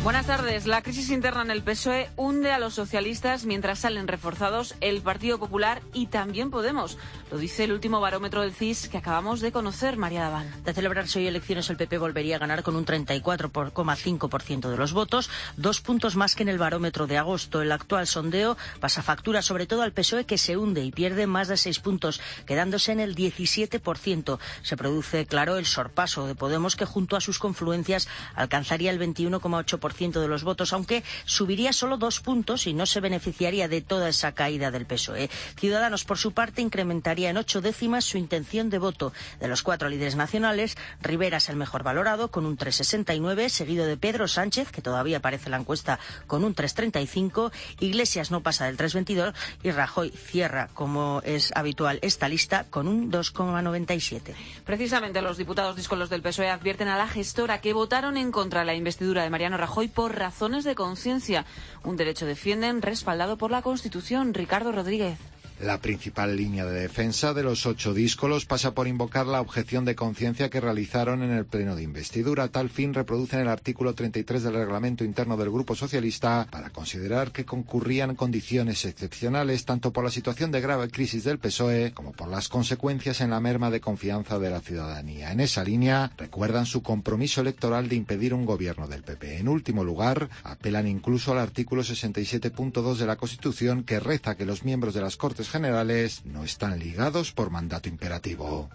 Buenas tardes. La crisis interna en el PSOE hunde a los socialistas mientras salen reforzados el Partido Popular y también Podemos. Lo dice el último barómetro del CIS que acabamos de conocer, María Daván. De celebrarse hoy elecciones, el PP volvería a ganar con un 34,5% de los votos, 2 puntos más que en el barómetro de agosto. El actual sondeo pasa factura sobre todo al PSOE, que se hunde y pierde más de 6 puntos, quedándose en el 17%. Se produce, claro, el sorpaso de Podemos, que junto a sus confluencias alcanzaría el 21,8%. 45% de los votos, aunque subiría solo 2 puntos y no se beneficiaría de toda esa caída del PSOE. Ciudadanos, por su parte, incrementaría en 8 décimas su intención de voto. De los 4 líderes nacionales, Rivera es el mejor valorado, con un 3,69, seguido de Pedro Sánchez, que todavía aparece en la encuesta con un 3,35, Iglesias no pasa del 3,22 y Rajoy cierra, como es habitual esta lista, con un 2,97. Precisamente los diputados díscolos del PSOE advierten a la gestora que votaron en contra de la investidura de Mariano Rajoy por razones de conciencia. Un derecho defienden respaldado por la Constitución. Ricardo Rodríguez. La principal línea de defensa de los 8 díscolos pasa por invocar la objeción de conciencia que realizaron en el pleno de investidura. A tal fin reproducen el artículo 33 del reglamento interno del Grupo Socialista para considerar que concurrían condiciones excepcionales tanto por la situación de grave crisis del PSOE como por las consecuencias en la merma de confianza de la ciudadanía. En esa línea recuerdan su compromiso electoral de impedir un gobierno del PP. En último lugar, apelan incluso al artículo 67.2 de la Constitución que reza que los miembros de las Cortes Generales no están ligados por mandato imperativo.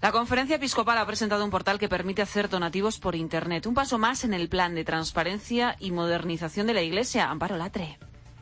La Conferencia Episcopal ha presentado un portal que permite hacer donativos por Internet. Un paso más en el plan de transparencia y modernización de la Iglesia. Amparo Latre.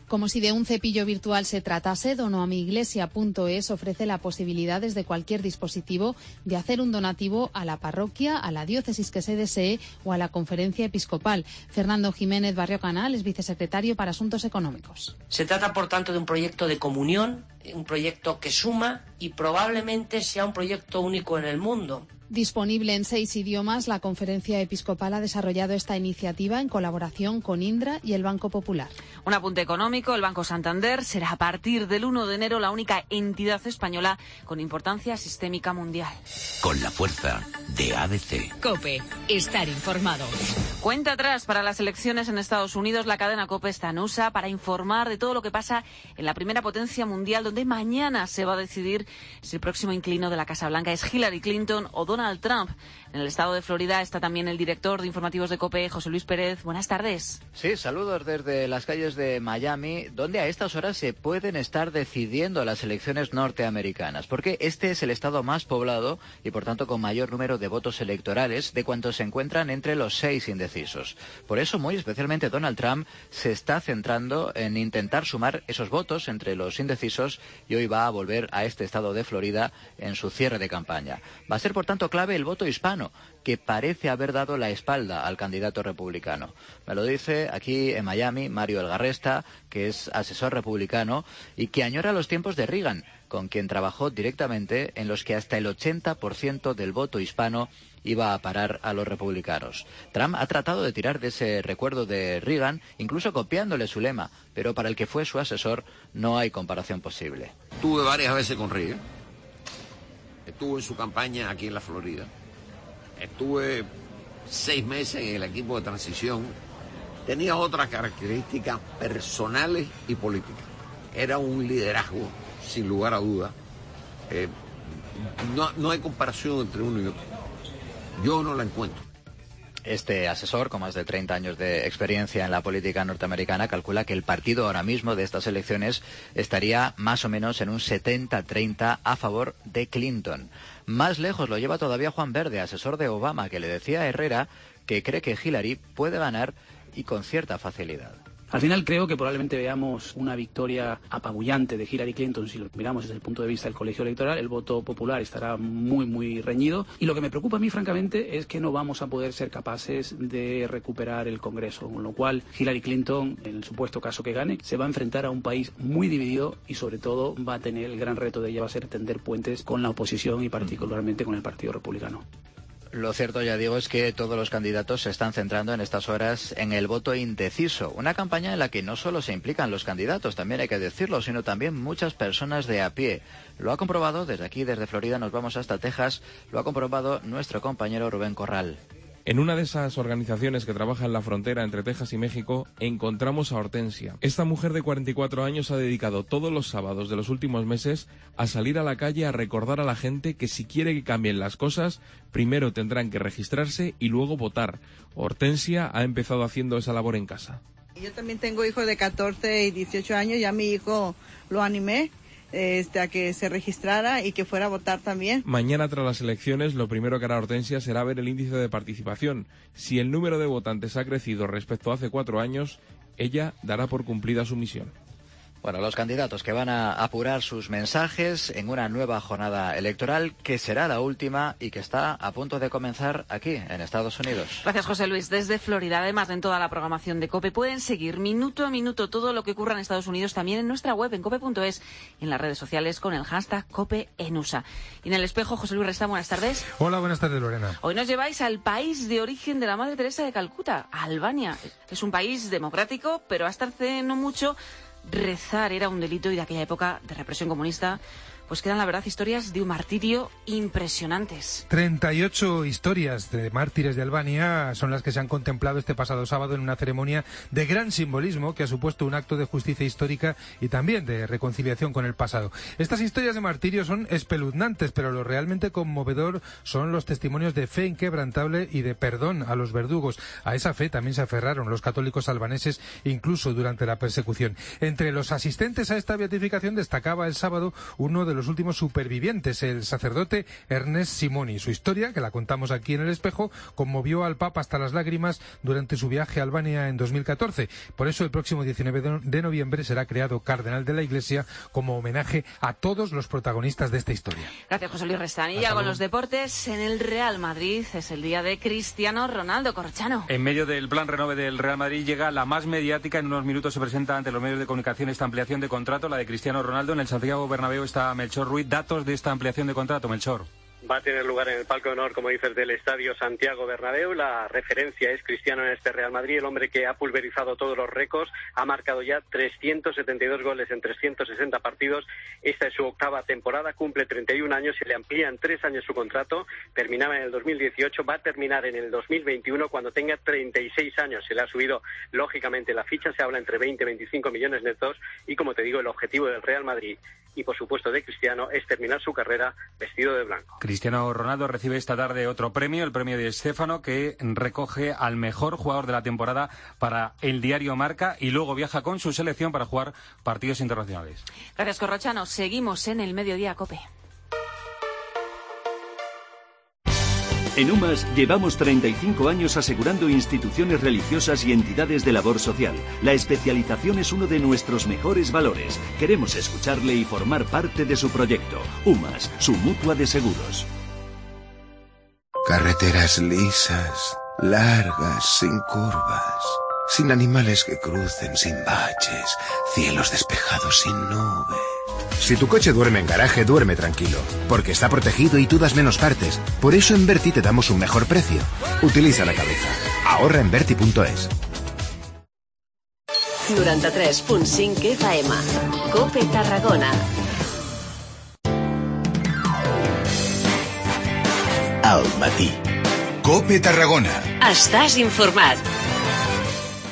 Como si de un cepillo virtual se tratase, donoamiglesia.es ofrece la posibilidad desde cualquier dispositivo de hacer un donativo a la parroquia, a la diócesis que se desee o a la Conferencia Episcopal. Fernando Jiménez Barrio Canal es vicesecretario para Asuntos Económicos. Se trata, por tanto, de un proyecto de comunión, un proyecto que suma y probablemente sea un proyecto único en el mundo. Disponible en 6 idiomas, la Conferencia Episcopal ha desarrollado esta iniciativa en colaboración con Indra y el Banco Popular. Un apunte económico, el Banco Santander será a partir del 1 de enero la única entidad española con importancia sistémica mundial. Con la fuerza de ABC. COPE, estar informado. Cuenta atrás para las elecciones en Estados Unidos. La cadena COPE está en USA para informar de todo lo que pasa en la primera potencia mundial, donde mañana se va a decidir si el próximo inquilino de la Casa Blanca es Hillary Clinton o Donald Trump. En el estado de Florida está también el director de informativos de COPE, José Luis Pérez. Buenas tardes. Sí, saludos desde las calles de Miami, donde a estas horas se pueden estar decidiendo las elecciones norteamericanas, porque este es el estado más poblado y por tanto con mayor número de votos electorales de cuantos se encuentran entre los 6 indecisos. Por eso, muy especialmente Donald Trump se está centrando en intentar sumar esos votos entre los indecisos y hoy va a volver a este estado de Florida en su cierre de campaña. Va a ser, por tanto, clave el voto hispano, que parece haber dado la espalda al candidato republicano. Me lo dice aquí en Miami Mario Elgarresta, que es asesor republicano y que añora los tiempos de Reagan, con quien trabajó directamente, en los que hasta el 80% del voto hispano iba a parar a los republicanos. Trump ha tratado de tirar de ese recuerdo de Reagan, incluso copiándole su lema, pero para el que fue su asesor no hay comparación posible. Estuve varias veces con Reagan. Estuve en su campaña aquí en la Florida. Estuve 6 meses en el equipo de transición. Tenía otras características personales y políticas. Era un liderazgo, sin lugar a duda. No hay comparación entre uno y otro. Yo no la encuentro. Este asesor, con más de 30 años de experiencia en la política norteamericana, calcula que el partido ahora mismo de estas elecciones estaría más o menos en un 70-30 a favor de Clinton. Más lejos lo lleva todavía Juan Verde, asesor de Obama, que le decía a Herrera que cree que Hillary puede ganar y con cierta facilidad. Al final creo que probablemente veamos una victoria apabullante de Hillary Clinton si lo miramos desde el punto de vista del colegio electoral. El voto popular estará muy reñido y lo que me preocupa a mí francamente es que no vamos a poder ser capaces de recuperar el Congreso, con lo cual Hillary Clinton, en el supuesto caso que gane, se va a enfrentar a un país muy dividido y sobre todo va a tener el gran reto de ella va a ser tender puentes con la oposición y particularmente con el Partido Republicano. Lo cierto, ya digo, es que todos los candidatos se están centrando en estas horas en el voto indeciso. Una campaña en la que no solo se implican los candidatos, también hay que decirlo, sino también muchas personas de a pie. Lo ha comprobado, desde aquí, desde Florida, nos vamos hasta Texas, lo ha comprobado nuestro compañero Rubén Corral. En una de esas organizaciones que trabaja en la frontera entre Texas y México, encontramos a Hortensia. Esta mujer de 44 años ha dedicado todos los sábados de los últimos meses a salir a la calle a recordar a la gente que si quiere que cambien las cosas, primero tendrán que registrarse y luego votar. Hortensia ha empezado haciendo esa labor en casa. Yo también tengo hijos de 14 y 18 años, ya mi hijo lo animé. a que se registrara y que fuera a votar también. Mañana, tras las elecciones, lo primero que hará Hortensia será ver el índice de participación. Si el número de votantes ha crecido respecto a hace 4 años, ella dará por cumplida su misión. Bueno, los candidatos que van a apurar sus mensajes en una nueva jornada electoral que será la última y que está a punto de comenzar aquí, en Estados Unidos. Gracias, José Luis. Desde Florida, además de en toda la programación de COPE, pueden seguir minuto a minuto todo lo que ocurra en Estados Unidos, también en nuestra web, en cope.es, y en las redes sociales con el hashtag COPEENUSA. Y en el espejo, José Luis Resta, buenas tardes. Hola, buenas tardes, Lorena. Hoy nos lleváis al país de origen de la Madre Teresa de Calcuta, a Albania. Es un país democrático, pero hasta hace no mucho rezar era un delito, y de aquella época de represión comunista pues quedan, la verdad, historias de un martirio impresionantes. 38 historias de mártires de Albania son las que se han contemplado este pasado sábado en una ceremonia de gran simbolismo que ha supuesto un acto de justicia histórica y también de reconciliación con el pasado. Estas historias de martirio son espeluznantes, pero lo realmente conmovedor son los testimonios de fe inquebrantable y de perdón a los verdugos. A esa fe también se aferraron los católicos albaneses, incluso durante la persecución. Entre los asistentes a esta beatificación destacaba el sábado uno de los últimos supervivientes, el sacerdote Ernest Simoni. Su historia, que la contamos aquí en el espejo, conmovió al Papa hasta las lágrimas durante su viaje a Albania en 2014. Por eso el próximo 19 de noviembre será creado cardenal de la Iglesia como homenaje a todos los protagonistas de esta historia. Gracias, José Luis Restán. Y ya con los deportes, en el Real Madrid es el día de Cristiano Ronaldo. Corrochano. En medio del plan renove del Real Madrid llega la más mediática. En unos minutos se presenta ante los medios de comunicación esta ampliación de contrato, la de Cristiano Ronaldo. En el Santiago Bernabéu está Melchor Ruiz. Datos de esta ampliación de contrato, Melchor. Va a tener lugar en el palco de honor, como dices, del Estadio Santiago Bernabéu. La referencia es Cristiano en este Real Madrid, el hombre que ha pulverizado todos los récords, ha marcado ya 372 goles en 360 partidos. Esta es su octava temporada, cumple 31 años, se le amplían 3 años su contrato, terminaba en el 2018, va a terminar en el 2021 cuando tenga 36 años. Se le ha subido, lógicamente, la ficha, se habla entre 20 y 25 millones netos y, como te digo, el objetivo del Real Madrid y, por supuesto, de Cristiano es terminar su carrera vestido de blanco. Cristiano Ronaldo recibe esta tarde otro premio, el premio de Stéfano, que recoge al mejor jugador de la temporada para el diario Marca, y luego viaja con su selección para jugar partidos internacionales. Gracias, Corrochano. Seguimos en el Mediodía COPE. En UMAS llevamos 35 años asegurando instituciones religiosas y entidades de labor social. La especialización es uno de nuestros mejores valores. Queremos escucharle y formar parte de su proyecto. UMAS, su mutua de seguros. Carreteras lisas, largas, sin curvas, sin animales que crucen, sin baches, cielos despejados sin nubes. Si tu coche duerme en garaje, duerme tranquilo, porque está protegido y tú das menos partes. Por eso en Berti te damos un mejor precio. Utiliza la cabeza. Ahorra en Berti.es. 93.5 FM. COPE Tarragona. Al matí. COPE Tarragona. Estàs informat.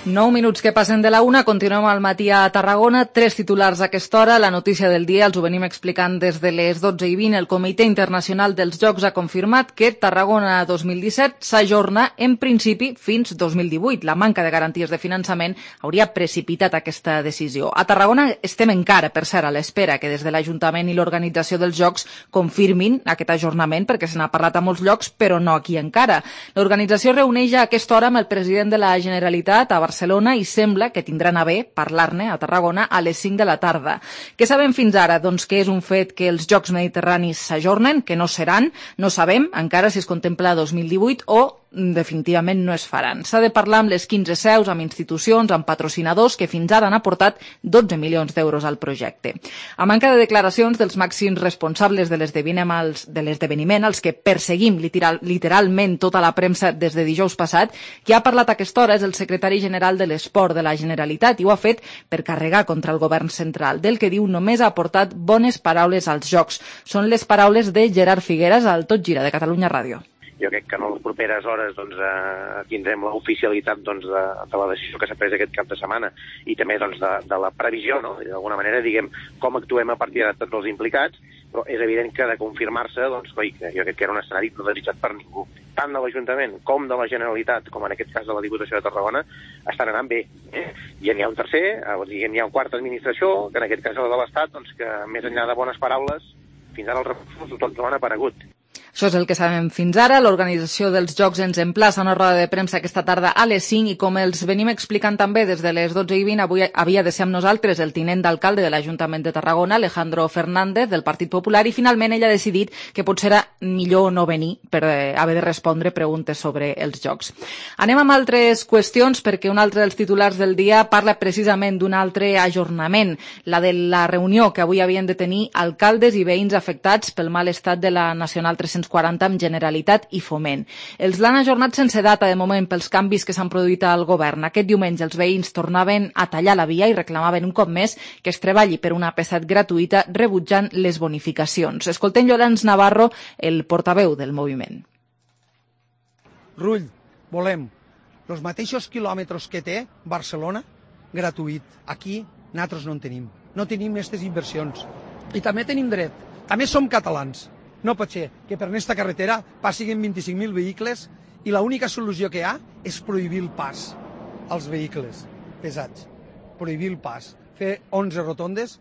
9 minuts que passen de la 1, continuem al matí a Tarragona. 3 titulars a aquesta hora. La notícia del dia els ho venim explicant des de les 12:20. El Comitè Internacional dels Jocs ha confirmat que Tarragona 2017 s'ajorna en principi fins 2018. La manca de garanties de finançament hauria precipitat aquesta decisió. A Tarragona estem encara, per cert, a l'espera que des de l'Ajuntament i l'organització dels Jocs confirmin aquest ajornament, perquè se n'ha parlat a molts llocs, però no aquí encara. L'organització reuneix a aquesta hora amb el president de la Generalitat a Barcelona i sembla que tindran a bé parlar-ne a Tarragona a les 5 de la tarda. Què sabem fins ara? Doncs que és un fet que els Jocs Mediterranis s'ajornen, que no seran. No sabem encara si es contempla 2018 o definitivament no es faran. S'ha de parlar amb les 15 seus, amb institucions, amb patrocinadors que fins ara han aportat 12 milions d'euros al projecte. A manca de declaracions dels màxims responsables de l'esdeveniment, els que perseguim literalment tota la premsa des de dijous passat, qui ha parlat a aquesta hora és el secretari general de l'Esport de la Generalitat i ho ha fet per carregar contra el govern central. Del que diu només ha aportat bones paraules als Jocs. Són les paraules de Gerard Figueras al Tot Gira de Catalunya Ràdio. Jo crec que en les properes hores tindrem l'oficialitat de la decisió que s'ha pres aquest cap de setmana i també de la previsió, no? D'alguna manera, diguem, com actuem a partir de tots els implicats, però és evident que de confirmar-se, doncs, que jo crec que era un escenari no desitjat per ningú. Tant de l'Ajuntament com de la Generalitat, com en aquest cas de la Diputació de Tarragona, estan anant bé. I n'hi ha un tercer, n'hi ha una quarta administració, que en aquest cas és la de l'Estat, doncs, que més enllà de bones paraules, fins ara els recursos tots no han aparegut. Això és el que sabem fins ara. L'organització dels Jocs ens emplaça a una roda de premsa aquesta tarda a les 5 i com els venim explicant també des de les 12:20, avui havia de ser amb nosaltres el tinent d'alcalde de l'Ajuntament de Tarragona, Alejandro Fernández, del Partit Popular, i finalment ell ha decidit que potser era millor no venir per haver de respondre preguntes sobre els Jocs. Anem amb altres qüestions perquè un altre dels titulars del dia parla precisament d'un altre ajornament, la de la reunió que avui havien de tenir alcaldes i veïns afectats pel mal estat de la Nacional 340 amb Generalitat i Foment. Els l'han ajornat sense data de moment pels canvis que s'han produït al govern. Aquest diumenge els veïns tornaven a tallar la via i reclamaven un cop més que es treballi per una P7 gratuïta rebutjant les bonificacions. Escoltem Llorenç Navarro, el portaveu del moviment. Rull, volem els mateixos quilòmetres que té Barcelona gratuït. Aquí nosaltres no en tenim. No tenim aquestes inversions. I també tenim dret. També som catalans. No pot ser que per aquesta carretera passin 25.000 vehicles i l'única solució que hi ha és prohibir el pas als vehicles pesats. Prohibir el pas. Fer 11 rotondes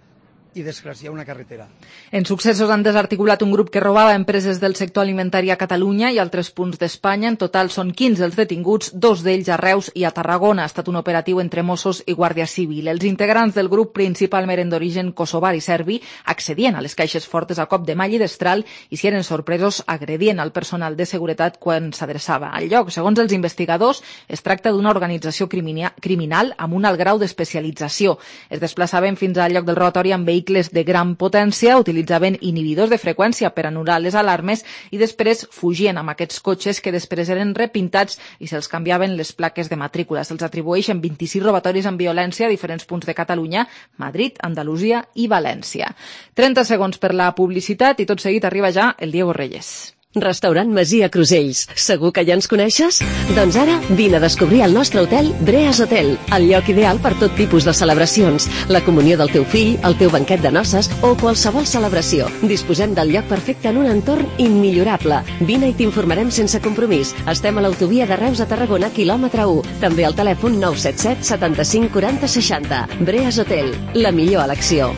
i desgraciar una carretera. En successos han desarticulat un grup que robava empreses del sector alimentari a Catalunya i altres punts d'Espanya. En total són 15 els detinguts, 2 d'ells a Reus i a Tarragona. Ha estat un operatiu entre Mossos i Guàrdia Civil. Els integrants del grup, principalment eren d'origen kosovar i serbi, accedien a les caixes fortes a cop de malla i destral i, si eren sorpresos, agredien al personal de seguretat quan s'adreçava al lloc. Segons els investigadors, es tracta d'una organització criminal amb un alt grau d'especialització. Es desplaçaven fins al lloc del robatori amb vehicles de gran potència, utilitzaven inhibidors de freqüència per anul·lar les alarmes i després fugien amb aquests cotxes que després eren repintats i se'ls canviaven les plaques de matrícula. Se'ls atribueixen 26 robatoris amb violència a diferents punts de Catalunya, Madrid, Andalusia i València. 30 segons per la publicitat i tot seguit arriba ja el Diego Reyes. Restaurant Masia Crusells. Segur que ja ens coneixes? Doncs ara vine a descobrir el nostre hotel Breas Hotel, el lloc ideal per tot tipus de celebracions, la comunió del teu fill, el teu banquet de noces o qualsevol celebració. Disposem del lloc perfecte en un entorn immillorable. Vine i t'informarem sense compromís. Estem a l'autovia de Reus a Tarragona, quilòmetre 1. També al telèfon 977 75 40 60. Breas Hotel, la millor elecció.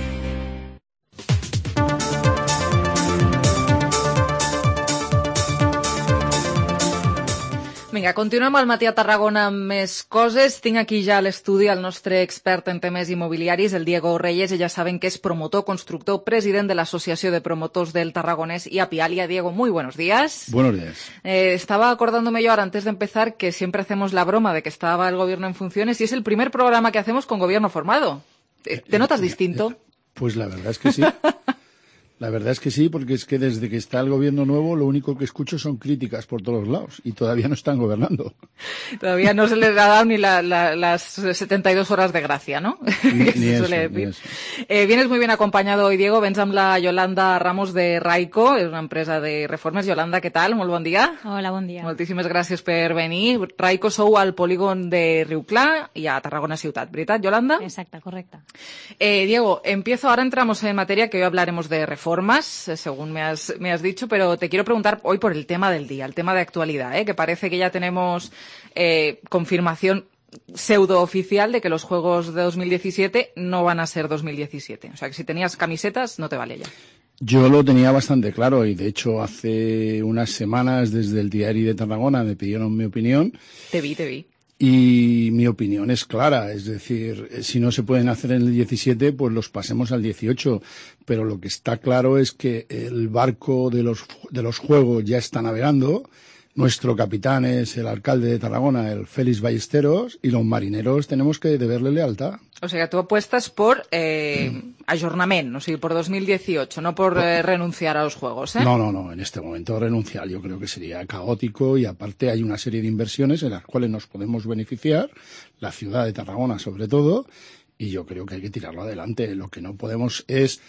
Vinga, continuem al matí a Tarragona amb més coses. Tinc aquí ja a l'estudi el nostre expert en temes immobiliaris, el Diego Reyes. Ja saben que es promotor, constructor, president de la Asociación de Promotores del Tarragonés y Apialia. Diego, muy buenos días. Buenos días. Estaba acordándome yo ahora, antes de empezar, que siempre hacemos la broma de que estaba el gobierno en funciones y es el primer programa que hacemos con gobierno formado. ¿Te notas distinto? Pues la verdad es que sí. La verdad es que sí, porque es que desde que está el gobierno nuevo lo único que escucho son críticas por todos lados y todavía no están gobernando. Todavía no se les ha dado ni las 72 horas de gracia, ¿no? Ni eso. Vienes muy bien acompañado hoy, Diego. Vens amb la Yolanda Ramos de Raico, és una empresa de reformes. Yolanda, què tal? Molt bon dia. Hola, bon dia. Moltíssimes gràcies per venir. Raico sou al polígon de Riuclà i a Tarragona ciutat, ¿veritat, Yolanda? Exacto, correcta. Diego, ahora entramos en materia que hoy hablaremos de reformas, según me has dicho, pero te quiero preguntar hoy por el tema del día, el tema de actualidad, que parece que ya tenemos confirmación pseudo-oficial de que los Juegos de 2017 no van a ser 2017. O sea, que si tenías camisetas, no te vale ya. Yo lo tenía bastante claro y, de hecho, hace unas semanas desde el Diario de Tarragona me pidieron mi opinión. Te vi. Y mi opinión es clara, es decir, si no se pueden hacer en el 17, pues los pasemos al 18. Pero lo que está claro es que el barco de los Juegos ya está navegando. Nuestro capitán es el alcalde de Tarragona, el Félix Ballesteros, y los marineros tenemos que deberle lealtad. O sea, tú apuestas por ayornamiento, o sea, por 2018, no por renunciar a los Juegos, ¿eh? No, en este momento renunciar yo creo que sería caótico y aparte hay una serie de inversiones en las cuales nos podemos beneficiar, la ciudad de Tarragona sobre todo, y yo creo que hay que tirarlo adelante. Lo que no podemos es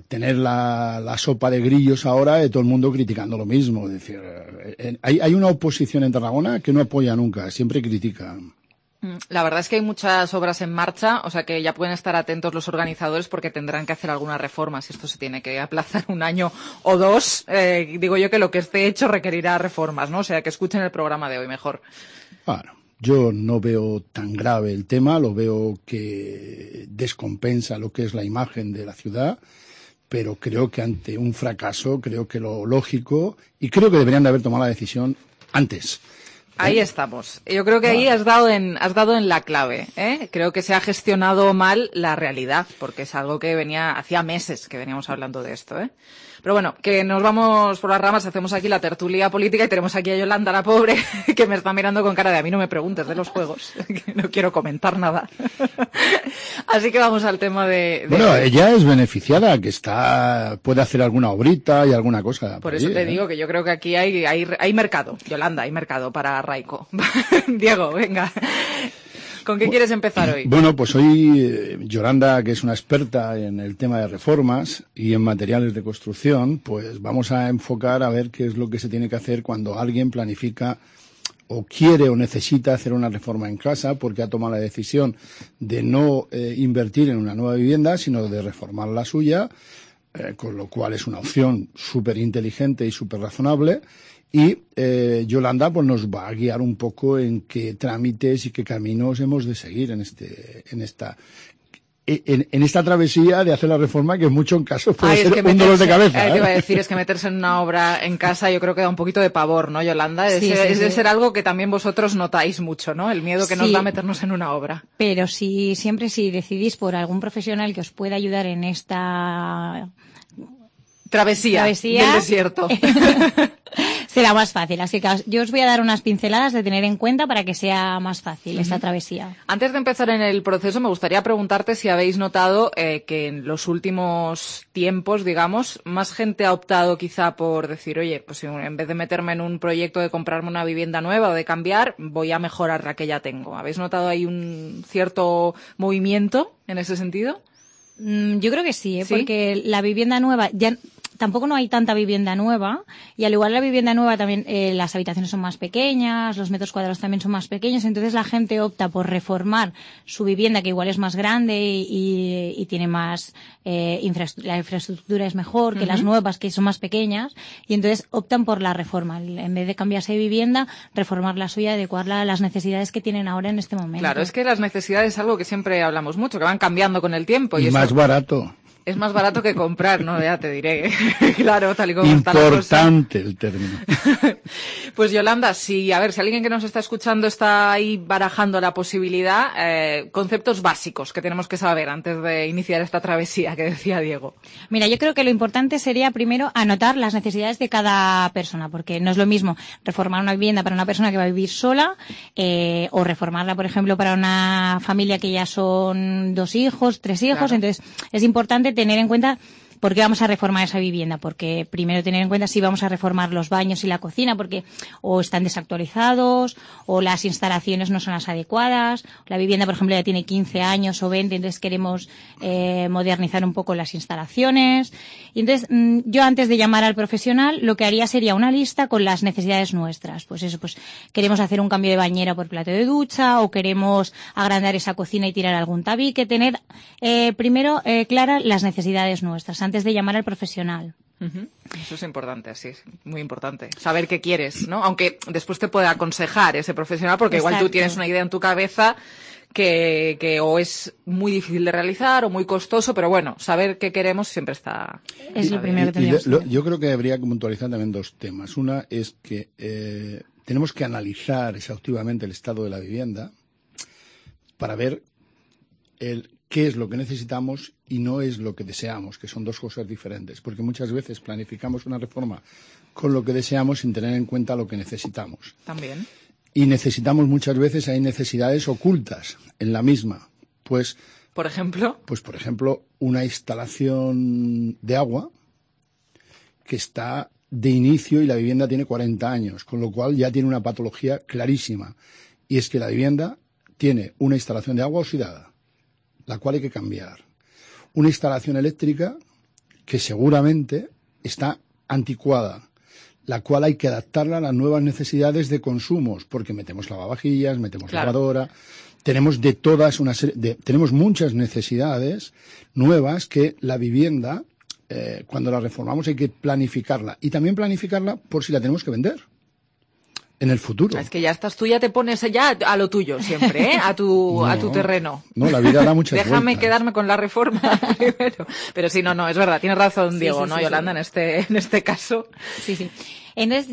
tener la sopa de grillos ahora de todo el mundo criticando lo mismo. Es decir, hay una oposición en Tarragona que no apoya nunca, siempre critica. La verdad es que hay muchas obras en marcha, o sea que ya pueden estar atentos los organizadores porque tendrán que hacer alguna reforma. Si esto se tiene que aplazar 1 año o 2, digo yo que lo que esté hecho requerirá reformas, ¿no? O sea que escuchen el programa de hoy mejor. Bueno, yo no veo tan grave el tema, lo veo que descompensa lo que es la imagen de la ciudad, pero creo que ante un fracaso, creo que lo lógico, y creo que deberían de haber tomado la decisión antes. Ahí estamos. Yo creo que ahí has dado en la clave, ¿eh? Creo que se ha gestionado mal la realidad, porque es algo que hacía meses que veníamos hablando de esto, ¿eh? Pero bueno, que nos vamos por las ramas, hacemos aquí la tertulia política y tenemos aquí a Yolanda, la pobre, que me está mirando con cara de a mí no me preguntes de los juegos, que no quiero comentar nada. Así que vamos al tema de... Bueno, ella es beneficiada, que puede hacer alguna obrita y alguna cosa. Por eso te digo que yo creo que aquí hay mercado, Yolanda, hay mercado para Raiko. Diego, venga. ¿Con qué quieres empezar hoy? Bueno, pues hoy Yolanda, que es una experta en el tema de reformas y en materiales de construcción, pues vamos a enfocar a ver qué es lo que se tiene que hacer cuando alguien planifica o quiere o necesita hacer una reforma en casa porque ha tomado la decisión de no invertir en una nueva vivienda, sino de reformar la suya, con lo cual es una opción súper inteligente y súper razonable. Y Yolanda pues nos va a guiar un poco en qué trámites y qué caminos hemos de seguir en esta travesía de hacer la reforma, que en muchos casos puede ser un dolor de cabeza. Te iba a decir, es que meterse en una obra en casa yo creo que da un poquito de pavor, ¿no, Yolanda? Es de ser algo que también vosotros notáis mucho, ¿no? El miedo que nos da meternos en una obra. Pero siempre si decidís por algún profesional que os pueda ayudar en esta... Travesía del desierto. Será más fácil. Así que yo os voy a dar unas pinceladas de tener en cuenta para que sea más fácil esta travesía. Antes de empezar en el proceso, me gustaría preguntarte si habéis notado que en los últimos tiempos, digamos, más gente ha optado quizá por decir, oye, pues en vez de meterme en un proyecto de comprarme una vivienda nueva o de cambiar, voy a mejorar la que ya tengo. ¿Habéis notado ahí un cierto movimiento en ese sentido? Yo creo que sí, porque la vivienda nueva ya... Tampoco no hay tanta vivienda nueva y al igual la vivienda nueva también las habitaciones son más pequeñas, los metros cuadrados también son más pequeños, entonces la gente opta por reformar su vivienda, que igual es más grande y tiene más la infraestructura es mejor que las nuevas, que son más pequeñas, y entonces optan por la reforma. En vez de cambiarse de vivienda, reformar la suya, adecuarla a las necesidades que tienen ahora en este momento. Claro, es que las necesidades es algo que siempre hablamos mucho, que van cambiando con el tiempo. Y más barato. Es más barato que comprar, ¿no? Ya te diré. Claro, tal y como está la cosa. Importante el término. Pues Yolanda, si alguien que nos está escuchando está ahí barajando la posibilidad, conceptos básicos que tenemos que saber antes de iniciar esta travesía que decía Diego. Mira, yo creo que lo importante sería primero anotar las necesidades de cada persona, porque no es lo mismo reformar una vivienda para una persona que va a vivir sola o reformarla, por ejemplo, para una familia que ya son 2 hijos, 3 hijos. Claro. Entonces, es importante tener en cuenta por qué vamos a reformar esa vivienda, porque primero tener en cuenta si vamos a reformar los baños y la cocina, porque o están desactualizados o las instalaciones no son las adecuadas, la vivienda, por ejemplo, ya tiene 15 años o 20, entonces queremos modernizar un poco las instalaciones. Y entonces yo antes de llamar al profesional lo que haría sería una lista con las necesidades nuestras. Pues eso, pues queremos hacer un cambio de bañera por plato de ducha o queremos agrandar esa cocina y tirar algún tabique, tener primero claras las necesidades nuestras antes de llamar al profesional. Eso es importante, sí, muy importante. Saber qué quieres, ¿no? Aunque después te puede aconsejar ese profesional, porque igual tú tienes una idea en tu cabeza que o es muy difícil de realizar o muy costoso, pero bueno, saber qué queremos siempre está... Es lo primero que tendríamos que hacer. Yo creo que habría que puntualizar también 2 temas. Una es que tenemos que analizar exhaustivamente el estado de la vivienda para ver qué es lo que necesitamos y no es lo que deseamos, que son 2 cosas diferentes, porque muchas veces planificamos una reforma con lo que deseamos sin tener en cuenta lo que necesitamos. También. Y necesitamos muchas veces, hay necesidades ocultas en la misma. Pues, ¿por ejemplo? Pues, por ejemplo, una instalación de agua que está de inicio y la vivienda tiene 40 años, con lo cual ya tiene una patología clarísima. Y es que la vivienda tiene una instalación de agua oxidada, la cual hay que cambiar. Una instalación eléctrica que seguramente está anticuada, la cual hay que adaptarla a las nuevas necesidades de consumos, porque metemos lavavajillas, metemos lavadora. tenemos tenemos muchas necesidades nuevas que la vivienda, cuando la reformamos hay que planificarla. Y también planificarla por si la tenemos que vender en el futuro. Es que ya estás tú, ya te pones ya a lo tuyo siempre, a tu terreno. No, la vida da muchas Déjame vueltas. quedarme con la reforma primero. Pero sí, no, es verdad, tienes razón, Diego, ¿no, Yolanda? Sí. En este caso. Sí. Entonces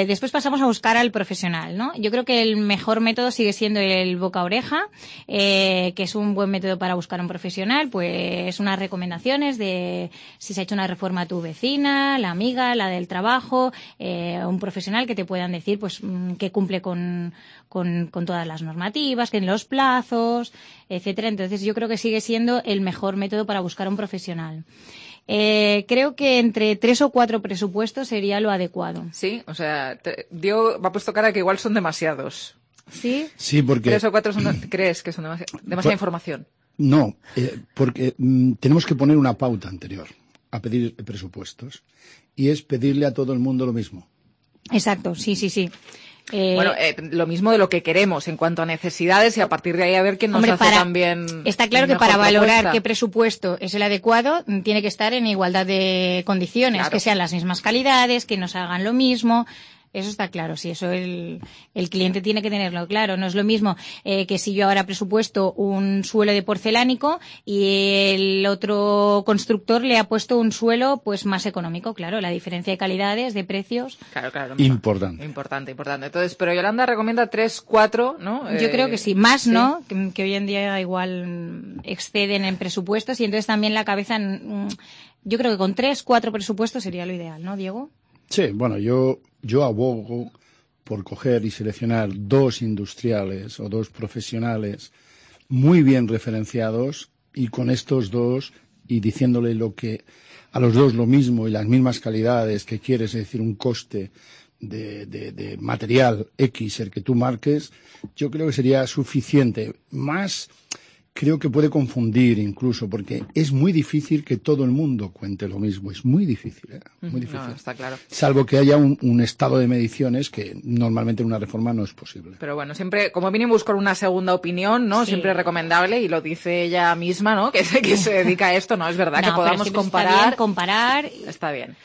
después pasamos a buscar al profesional, ¿no? Yo creo que el mejor método sigue siendo el boca a oreja, que es un buen método para buscar a un profesional, pues unas recomendaciones de si se ha hecho una reforma a tu vecina, la amiga, la del trabajo, un profesional que te puedan decir, pues, que cumple con todas las normativas, que en los plazos, etcétera. Entonces yo creo que sigue siendo el mejor método para buscar a un profesional. Creo que entre 3 o 4 presupuestos sería lo adecuado. Sí, o sea, Diego me ha puesto cara que igual son demasiados. ¿Sí? Sí, porque... 3 o 4 ¿crees que son demasiada información? No, porque tenemos que poner una pauta anterior a pedir presupuestos y es pedirle a todo el mundo lo mismo. Exacto, sí. Lo mismo de lo que queremos en cuanto a necesidades y a partir de ahí a ver quién nos hace también. Está claro que para valorar qué presupuesto es el adecuado tiene que estar en igualdad de condiciones, claro. Que sean las mismas calidades, que nos hagan lo mismo. Eso está claro, sí, eso el cliente tiene que tenerlo claro. No es lo mismo que si yo ahora presupuesto un suelo de porcelánico y el otro constructor le ha puesto un suelo pues más económico, claro, la diferencia de calidades, de precios. Claro. Importante. Entonces, pero Yolanda recomienda 3, 4, ¿no? Yo creo que sí, más, sí. ¿No? Que hoy en día igual exceden en presupuestos y entonces también la cabeza, yo creo que con 3, 4 presupuestos sería lo ideal, ¿no, Diego? Sí, bueno, yo abogo por coger y seleccionar 2 industriales o 2 profesionales muy bien referenciados y con estos 2 y diciéndole a los 2 lo mismo y las mismas calidades que quieres, es decir, un coste de material X el que tú marques, yo creo que sería suficiente. Más creo que puede confundir incluso, porque es muy difícil que todo el mundo cuente lo mismo. Es muy difícil, muy difícil. No, está claro. Salvo que haya un estado de mediciones que normalmente en una reforma no es posible. Pero bueno, siempre, como mínimo buscar una segunda opinión, ¿no? Sí. Siempre es recomendable, y lo dice ella misma, ¿no? Que se dedica a esto, ¿no? Es verdad, que podamos comparar. Está bien.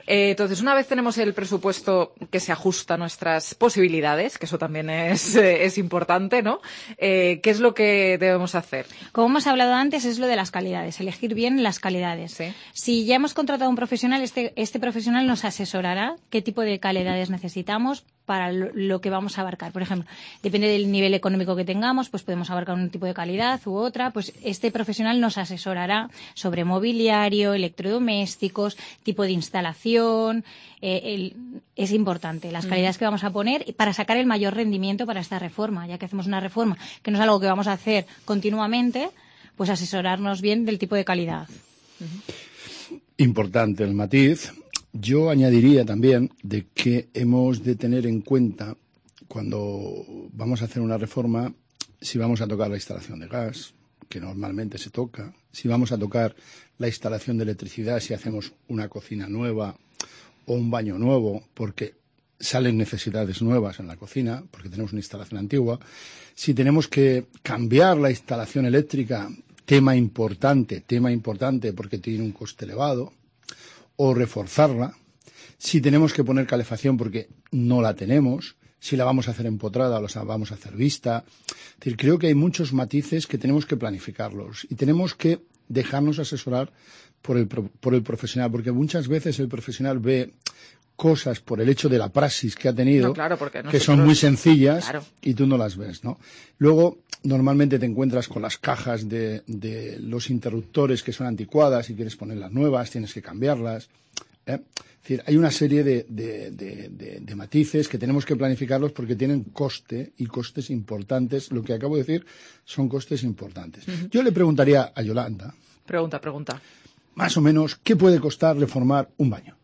Entonces, una vez tenemos el presupuesto que se ajusta a nuestras posibilidades, que eso también es importante, ¿no? ¿Qué es lo que debemos hacer? Como hemos hablado antes, es lo de las calidades, elegir bien las calidades. Sí. Si ya hemos contratado a un profesional, este profesional nos asesorará qué tipo de calidades necesitamos para lo que vamos a abarcar. Por ejemplo, depende del nivel económico que tengamos, pues podemos abarcar un tipo de calidad u otra. Pues este profesional nos asesorará sobre mobiliario, electrodomésticos, tipo de instalación. Es importante las calidades que vamos a poner para sacar el mayor rendimiento para esta reforma, ya que hacemos una reforma que no es algo que vamos a hacer continuamente, pues asesorarnos bien del tipo de calidad. Importante el matiz. Yo añadiría también de que hemos de tener en cuenta cuando vamos a hacer una reforma si vamos a tocar la instalación de gas, que normalmente se toca, si vamos a tocar la instalación de electricidad, si hacemos una cocina nueva o un baño nuevo, porque salen necesidades nuevas en la cocina, porque tenemos una instalación antigua. Si tenemos que cambiar la instalación eléctrica, tema importante, porque tiene un coste elevado, o reforzarla. Si tenemos que poner calefacción porque no la tenemos, si la vamos a hacer empotrada o la vamos a hacer vista. Es decir, creo que hay muchos matices que tenemos que planificarlos y tenemos que dejarnos asesorar por el profesional, porque muchas veces el profesional ve cosas por el hecho de la praxis que ha tenido, que son muy sencillas, y tú no las ves, ¿no? Luego, normalmente te encuentras con las cajas de los interruptores que son anticuadas y quieres ponerlas nuevas, tienes que cambiarlas. Es decir, hay una serie de matices que tenemos que planificarlos porque tienen coste y costes importantes. Lo que acabo de decir son costes importantes. Yo le preguntaría a Yolanda. Pregunta. Más o menos, ¿qué puede costar reformar un baño?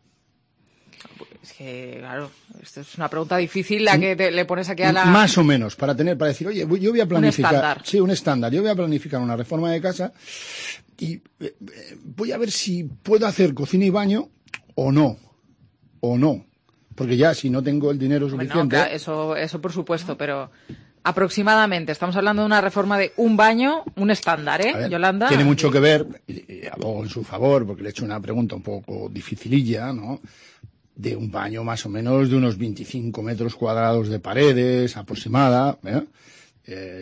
Es que, claro, esto es una pregunta difícil la que le pones aquí a la... Más o menos, para decir, oye, yo voy a planificar... Un estándar. Sí, un estándar. Yo voy a planificar una reforma de casa y voy a ver si puedo hacer cocina y baño o no. Porque ya, si no tengo el dinero suficiente... No, claro, eso por supuesto, pero Aproximadamente, estamos hablando de una reforma de un baño, un estándar, ¿eh, ver, Yolanda? Tiene mucho que ver, y abogo en su favor, porque le he hecho una pregunta un poco dificililla, ¿no? De un baño más o menos de unos 25 metros cuadrados de paredes, aproximada,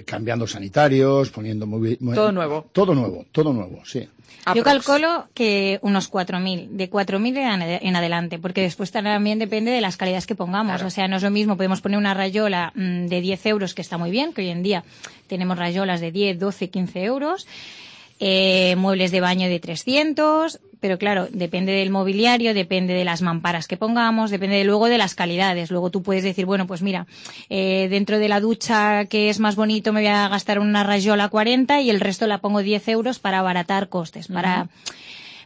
cambiando sanitarios, poniendo... Todo nuevo. Todo nuevo, sí. Yo calculo que unos 4.000, de 4.000 en adelante, porque después también depende de las calidades que pongamos. Claro. O sea, no es lo mismo, podemos poner una rayola de 10 euros, que está muy bien, que hoy en día tenemos rayolas de 10, 12, 15 euros, muebles de baño de 300, pero claro, depende del mobiliario, depende de las mamparas que pongamos, depende luego de las calidades. Luego tú puedes decir, bueno, pues mira, dentro de la ducha que es más bonito me voy a gastar una rayola 40 y el resto la pongo 10 euros para abaratar costes,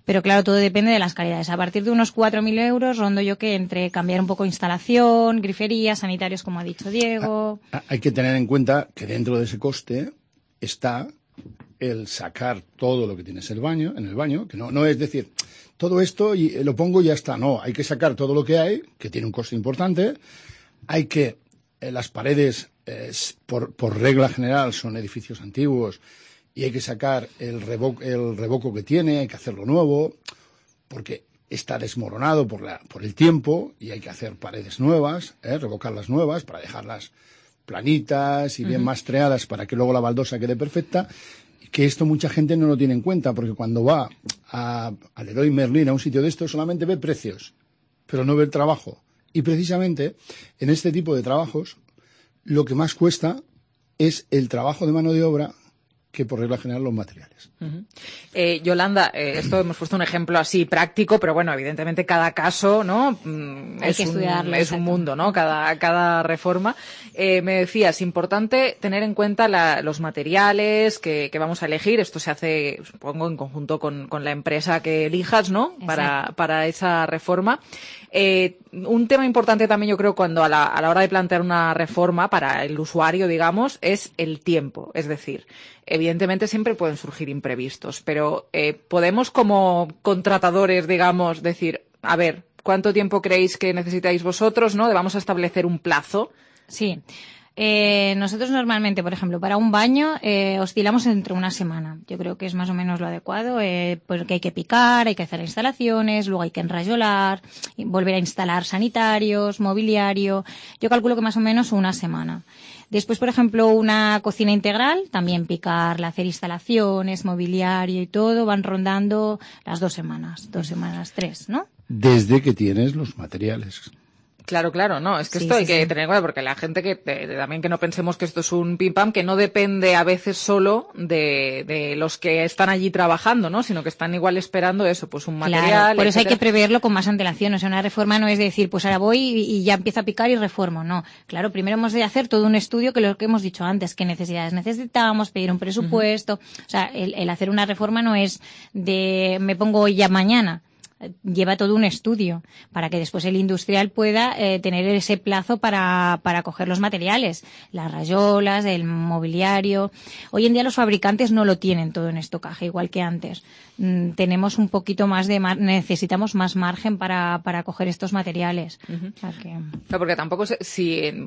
Pero claro, todo depende de las calidades. A partir de unos 4.000 euros rondo yo que entre cambiar un poco instalación, grifería, sanitarios, como ha dicho Diego. Hay que tener en cuenta que dentro de ese coste está el sacar todo lo que tienes en el baño, que no es decir, todo esto y lo pongo y ya está. No, hay que sacar todo lo que hay, que tiene un coste importante. Hay que, las paredes, por regla general, son edificios antiguos y hay que sacar el revoco que tiene, hay que hacerlo nuevo, porque está desmoronado por el tiempo y hay que hacer paredes nuevas, revocarlas nuevas para dejarlas planitas y bien mastreadas para que luego la baldosa quede perfecta. Que esto mucha gente no lo tiene en cuenta, porque cuando va al Leroy Merlin, a un sitio de esto, solamente ve precios, pero no ve el trabajo. Y precisamente en este tipo de trabajos lo que más cuesta es el trabajo de mano de obra que por regla general los materiales. Yolanda, esto hemos puesto un ejemplo así práctico, pero bueno, evidentemente cada caso, ¿no? Es un mundo, ¿no? Cada reforma. Me decías, importante tener en cuenta los materiales que vamos a elegir. Esto se hace, supongo, en conjunto con la empresa que elijas, ¿no? Para esa reforma. Un tema importante también, yo creo, cuando a la hora de plantear una reforma para el usuario, digamos, es el tiempo. Es decir, evidentemente siempre pueden surgir imprevistos, pero podemos como contratadores, digamos, decir, a ver, ¿cuánto tiempo creéis que necesitáis vosotros, no? Vamos a establecer un plazo. Sí. Nosotros normalmente, por ejemplo, para un baño oscilamos entre una semana. Yo creo que es más o menos lo adecuado, porque hay que picar, hay que hacer instalaciones, luego hay que enrayolar, volver a instalar sanitarios, mobiliario. Yo calculo que más o menos una semana. Después, por ejemplo, una cocina integral, también picarla, hacer instalaciones, mobiliario y todo, van rondando las 2 semanas, 3, ¿no? Desde que tienes los materiales. Claro, no, es que esto hay que tener en cuenta, porque la gente también que no pensemos que esto es un pim pam, que no depende a veces solo de los que están allí trabajando, ¿no? Sino que están igual esperando eso, pues un material. Claro, por eso hay que preverlo con más antelación. O sea, una reforma no es decir, pues ahora voy y ya empiezo a picar y reformo. No, claro, primero hemos de hacer todo un estudio, que lo que hemos dicho antes, qué necesidades necesitamos, pedir un presupuesto. O sea, el hacer una reforma no es de me pongo hoy ya mañana. Lleva todo un estudio para que después el industrial pueda tener ese plazo para coger los materiales, las rayolas, el mobiliario. Hoy en día los fabricantes no lo tienen todo en estocaje, igual que antes. Tenemos un poquito más necesitamos más margen para coger estos materiales. O sea que... No, porque tampoco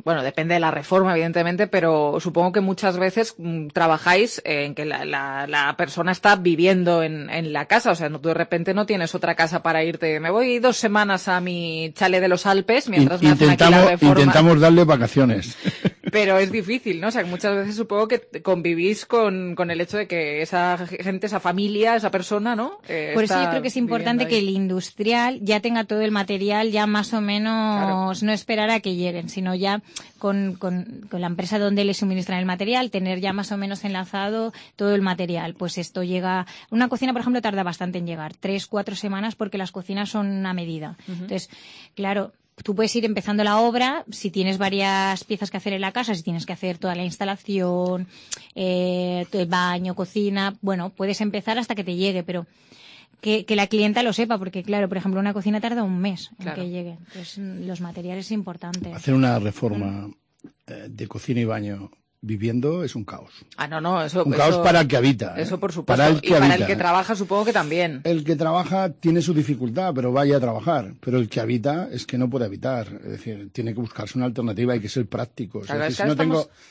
bueno, depende de la reforma, evidentemente, pero supongo que muchas veces trabajáis en que la persona está viviendo en la casa, o sea, tú de repente no tienes otra casa para irte. Me voy 2 semanas a mi chalet de los Alpes mientras me hacen aquí la reforma. Intentamos darle vacaciones. Pero es difícil, ¿no? O sea, que muchas veces supongo que convivís con el hecho de que esa gente, esa familia, esa persona, ¿no? Por eso yo creo que es importante que el industrial ya tenga todo el material ya más o menos, no esperar a que lleguen, sino ya con la empresa donde le suministran el material, tener ya más o menos enlazado todo el material. Pues esto llega... Una cocina, por ejemplo, tarda bastante en llegar, 3-4 semanas, porque las cocinas son a medida. Entonces, claro... Tú puedes ir empezando la obra, si tienes varias piezas que hacer en la casa, si tienes que hacer toda la instalación, todo el baño, cocina, bueno, puedes empezar hasta que te llegue, pero que la clienta lo sepa, porque claro, por ejemplo, una cocina tarda un mes en que llegue. Entonces, los materiales es importante. Hacer una reforma de cocina y baño viviendo es un caos. No, eso... Un caos para el que habita. Eso por supuesto. Para el que para habita. el que trabaja supongo que también. El que trabaja tiene su dificultad, pero vaya a trabajar. Pero el que habita es que no puede habitar. Es decir, tiene que buscarse una alternativa, hay que ser prácticos. Claro, es decir,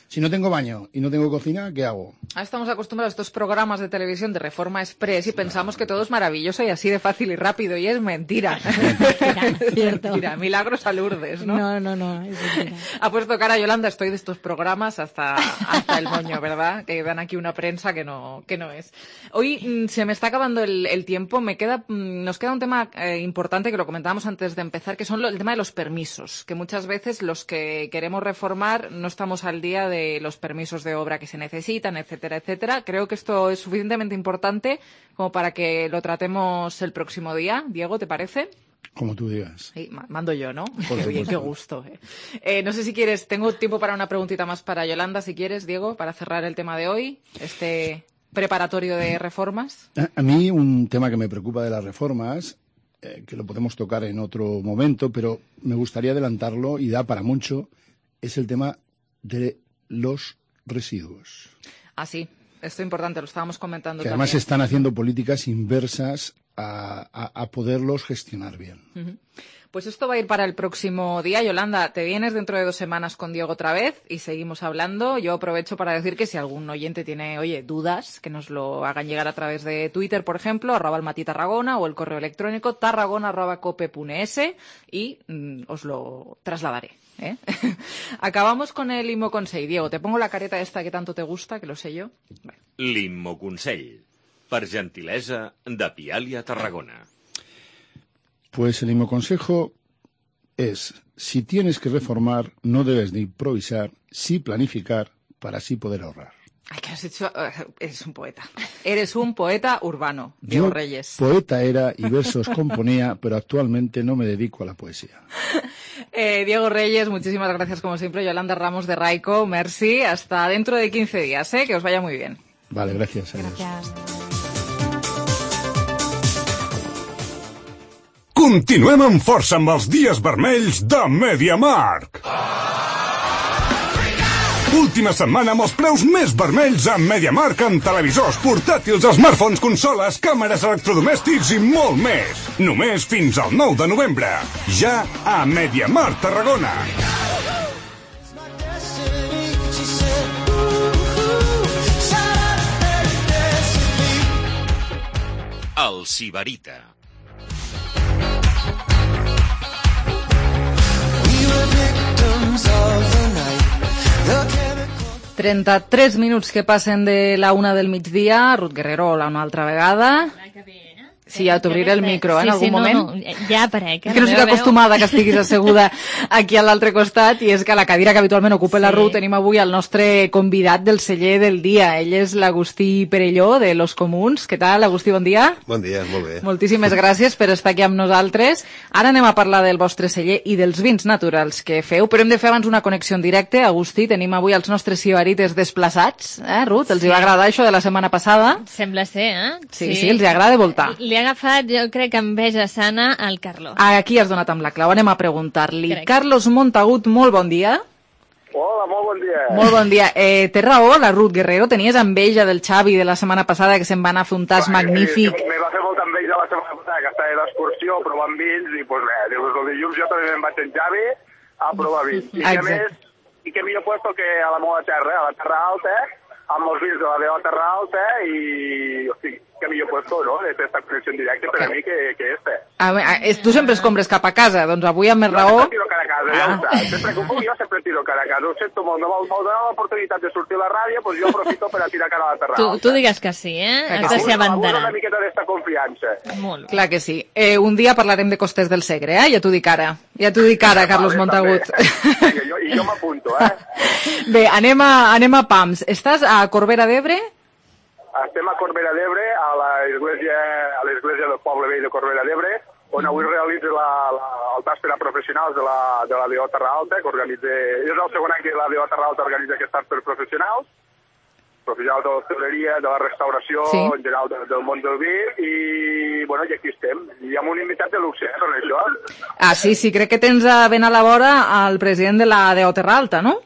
si no tengo baño y no tengo cocina, ¿qué hago? Ahora estamos acostumbrados a estos programas de televisión de Reforma Express y pensamos que todo es maravilloso y así de fácil y rápido, y es mentira. Cierto. Mentira, milagros a Lourdes, ¿no? No, es mentira. Ha puesto cara Yolanda, estoy de estos programas hasta el moño, ¿verdad? Que dan aquí una prensa que no es. Hoy se me está acabando el tiempo, nos queda un tema importante que lo comentábamos antes de empezar, que son el tema de los permisos, que muchas veces los que queremos reformar no estamos al día de los permisos de obra que se necesitan, etcétera, etcétera. Creo que esto es suficientemente importante como para que lo tratemos el próximo día. Diego, ¿te parece? Como tú digas. Sí, mando yo, ¿no? Por Qué bien, qué gusto. No sé si quieres, tengo tiempo para una preguntita más para Yolanda, si quieres, Diego, para cerrar el tema de hoy, este preparatorio de reformas. A mí un tema que me preocupa de las reformas, que lo podemos tocar en otro momento, pero me gustaría adelantarlo y da para mucho, es el tema de los residuos. Ah, sí, esto es importante, lo estábamos comentando que también. Además están haciendo políticas inversas a poderlos gestionar bien. Uh-huh. Pues esto va a ir para el próximo día. Yolanda, te vienes dentro de 2 semanas con Diego otra vez y seguimos hablando. Yo aprovecho para decir que si algún oyente tiene, dudas, que nos lo hagan llegar a través de Twitter, por ejemplo, @almatitarragona o el correo electrónico tarragona@cope.es y os lo trasladaré. Acabamos con el Immoconsell. Diego, te pongo la careta esta que tanto te gusta, que lo sé yo. Bueno. L'Immoconsell, per gentilesa de Pialia Tarragona. Pues el consejo es, si tienes que reformar, no debes de improvisar, sí planificar para así poder ahorrar. Ay, que has hecho... eres un poeta. Eres un poeta urbano, Diego Reyes. Poeta era y versos componía, pero actualmente no me dedico a la poesía. Diego Reyes, muchísimas gracias como siempre. Yolanda Ramos de Raico, merci. Hasta dentro de 15 días, que os vaya muy bien. Vale, gracias. Gracias. Continuem amb força amb els dies vermells de MediaMarkt. Última setmana amb els preus més vermells a MediaMarkt en televisors, portàtils, smartphones, consoles, càmeres, electrodomèstics i molt més. Només fins al 9 de novembre. Ja a MediaMarkt Tarragona. El Sibarita. 33 minuts que passen de la 1 del migdia. Ruth Guerrero, hola una altra vegada. Sí, ja t'obriré el micro, en algun moment. No, ja aparec. És que no estic acostumada que estiguis asseguda aquí a l'altre costat, i és que a la cadira que habitualment ocupa la Ruth tenim avui el nostre convidat del celler del dia. Ell és l'Agustí Perelló, de Los Comuns. Què tal, Agustí, bon dia? Bon dia, molt bé. Moltíssimes gràcies per estar aquí amb nosaltres. Ara anem a parlar del vostre celler i dels vins naturals que feu, però hem de fer abans una connexió en directe. Agustí, tenim avui els nostres sibarites desplaçats, Ruth? Els hi va agradar això de la setmana passada? Sembla ser, Sí, els hi agrada voltar. Li ha agafat, jo crec que enveja sana al Carlo. Aquí has donat amb la clau, anem a preguntar-li. Carlos Montagut, molt bon dia. Hola, molt bon dia. Molt bon dia. Té raó la Ruth Guerrero? Tenies enveja del Xavi de la setmana passada, que se'n va anar a fer un tas magnífic? Me va fer molta enveja la setmana passada, que estava d'excursió provant vins, i doncs bé, el dilluns jo també me'n vaig en Xavi a provar vins. I que més, i que millor puesto que a la meva terra, a la Terra Alta, amb els vins de la meva Terra Alta, i, hosti, que millor puesto, no?, de fer esta connexió en directe per a mi que este. Tu sempre escombres cap a casa, doncs avui amb més raó... Jo sempre tiro cara a casa, ja ho saps. Sempre que ho puc, jo sempre tiro cara a casa. Ho sento molt, no m'ho dona l'oportunitat de sortir a la ràdio, doncs jo aprofito per a tirar cara a la Terra Alta. Tu digues que sí, Has de ser abanderat. Abuso una miqueta d'esta confiança. Molt bé. Clar que sí. Un dia parlarem de Costers del Segre, ja t'ho dic ara. Ja t'ho dic ara, Carlos Montagut. I jo m'apunto, Bé, anem a Pams. Estàs a Corbera d'Ebre? Estem a Corbera d'Ebre, a l'església del poble vell de Corbera d'Ebre, on avui realitza el tas per a professionals de la DO Terra Alta, que organitza... És el segon any que la DO Terra Alta organitza aquest tas per professionals de l'hostaleria, de la restauració, en general del món del vi, i bueno, i aquí estem. I amb un invitat de luxe, per això. Sí, crec que tens ben a la vora el president de la DO Terra Alta, no?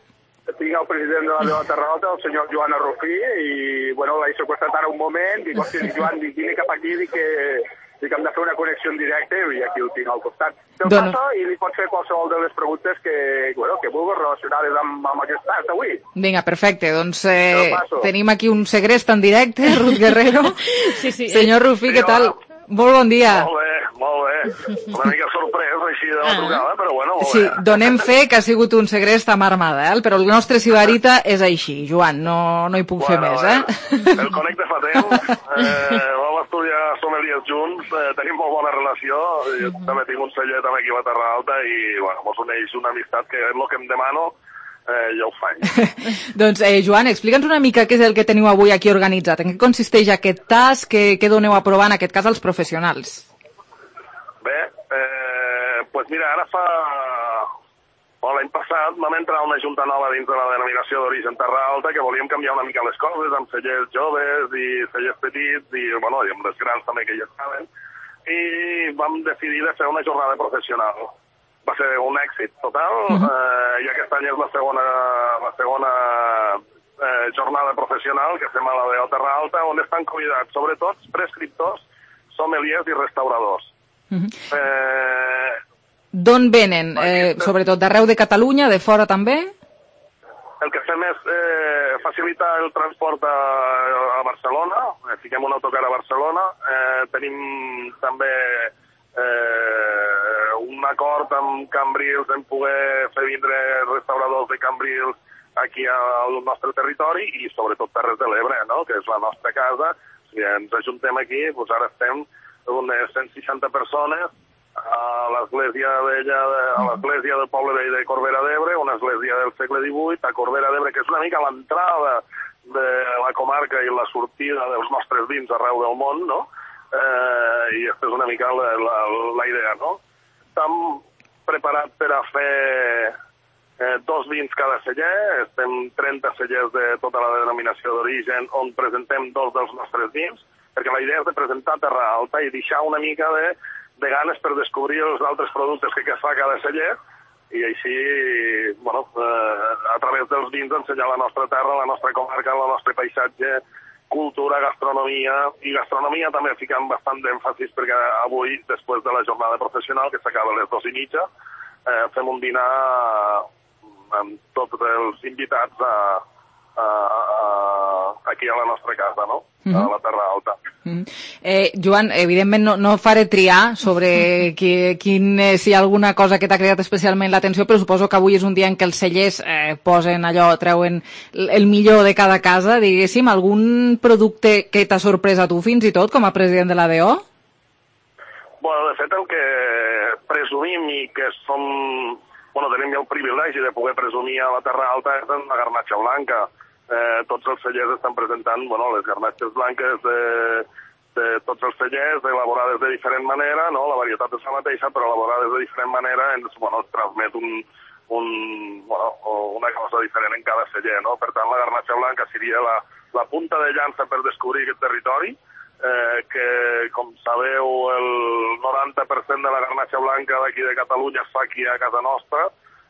tinc el president de la DO Terra Alta, el senyor Joan Arrufí, i, bueno, l'he seqüestrat ara un moment, dic, hòstia, Joan, vine cap aquí, dic que hem de fer una connexió en directe, i aquí ho tinc al costat. Te'l passo i li pots fer qualsevol de les preguntes que vulguis relacionades amb aquest tas d'avui. Vinga, perfecte. Doncs tenim aquí un segrest en directe, Ruth Guerrero. Sí, sí. Senyor Rufí, què tal? Molt bon dia. Molt bé. Una mica sorprès així de la trucada, però bueno, molt bé. Sí, donem fe que ha sigut un segrest a mà armada, però el nostre sibarita és així, Joan, no hi puc fer més, El connecte fa temps, vam estudiar sommeliers junts, tenim molt bona relació, jo també tinc un celler també aquí a la Terra Alta i, bueno, mos uneix una amistat que és el que em demano, jo ho faig. Doncs, Joan, explica'ns una mica què és el que teniu avui aquí organitzat, en què consisteix aquest tas, què doneu a provar, en aquest cas, als professionals? Bé, doncs mira, ara l'any passat vam entrar a una junta nova dins de la denominació d'origen Terra Alta que volíem canviar una mica les coses amb cellers joves i cellers petits i, bueno, i amb les grans també que ja estaven, i vam decidir de fer una jornada professional. Va ser un èxit total, i aquest any és la segona jornada professional que fem a la DO Terra Alta, on estan convidats sobretot prescriptors, sommeliers i restauradors. D'on venen? Sobretot d'arreu de Catalunya, de fora també? El que fem és facilitar el transport a Barcelona, fiquem un autocar a Barcelona, tenim també un acord amb Cambrils en poder fer vindre restauradors de Cambrils aquí al nostre territori i sobretot Terres de l'Ebre, no?, que és la nostra casa. Si ens ajuntem aquí, doncs ara estem unes 160 persones a l'església del poble vell de Corbera d'Ebre, una església del segle XVIII, a Corbera d'Ebre, que és una mica l'entrada de la comarca i la sortida dels nostres vins arreu del món, no? I aquesta és una mica la idea, no? Estem preparats per a fer 2 vins cada celler, estem 30 cellers de tota la denominació d'origen on presentem 2 dels nostres vins, perquè la idea és de presentar Terra Alta i deixar una mica de ganes per descobrir els altres productes que fa cada celler i així, bueno, a través dels vins ensenyar la nostra terra, la nostra comarca, el nostre paisatge, cultura, gastronomia, i gastronomia també ficant bastant d'èmfasis perquè avui, després de la jornada professional, que s'acaba a les 2:30, fem un dinar amb tots els invitats aquí a la nostra casa, no?, a la Terra Alta. Joan, evidentment no faré triar sobre si hi ha alguna cosa que t'ha cridat especialment l'atenció, però suposo que avui és un dia en què els cellers posen allò, treuen el millor de cada casa, diguéssim, algun producte que t'ha sorprès a tu fins i tot com a president de la DO? Bueno, de fet el que presumim i que som... Bueno, tenim el privilegi de poder presumir a la Terra Alta és la garnatxa blanca. Tots els cellers estan presentant, bueno, les garnatxes blanques de tots els cellers, elaborades de diferent manera, no? La varietat és la mateixa, però elaborades de diferent manera ens transmet una cosa diferent en cada celler, no? Per tant, la garnatxa blanca seria la punta de llança per descobrir aquest territori, que, com sabeu, el 90% de la garnatxa blanca d'aquí de Catalunya es fa aquí a casa nostra,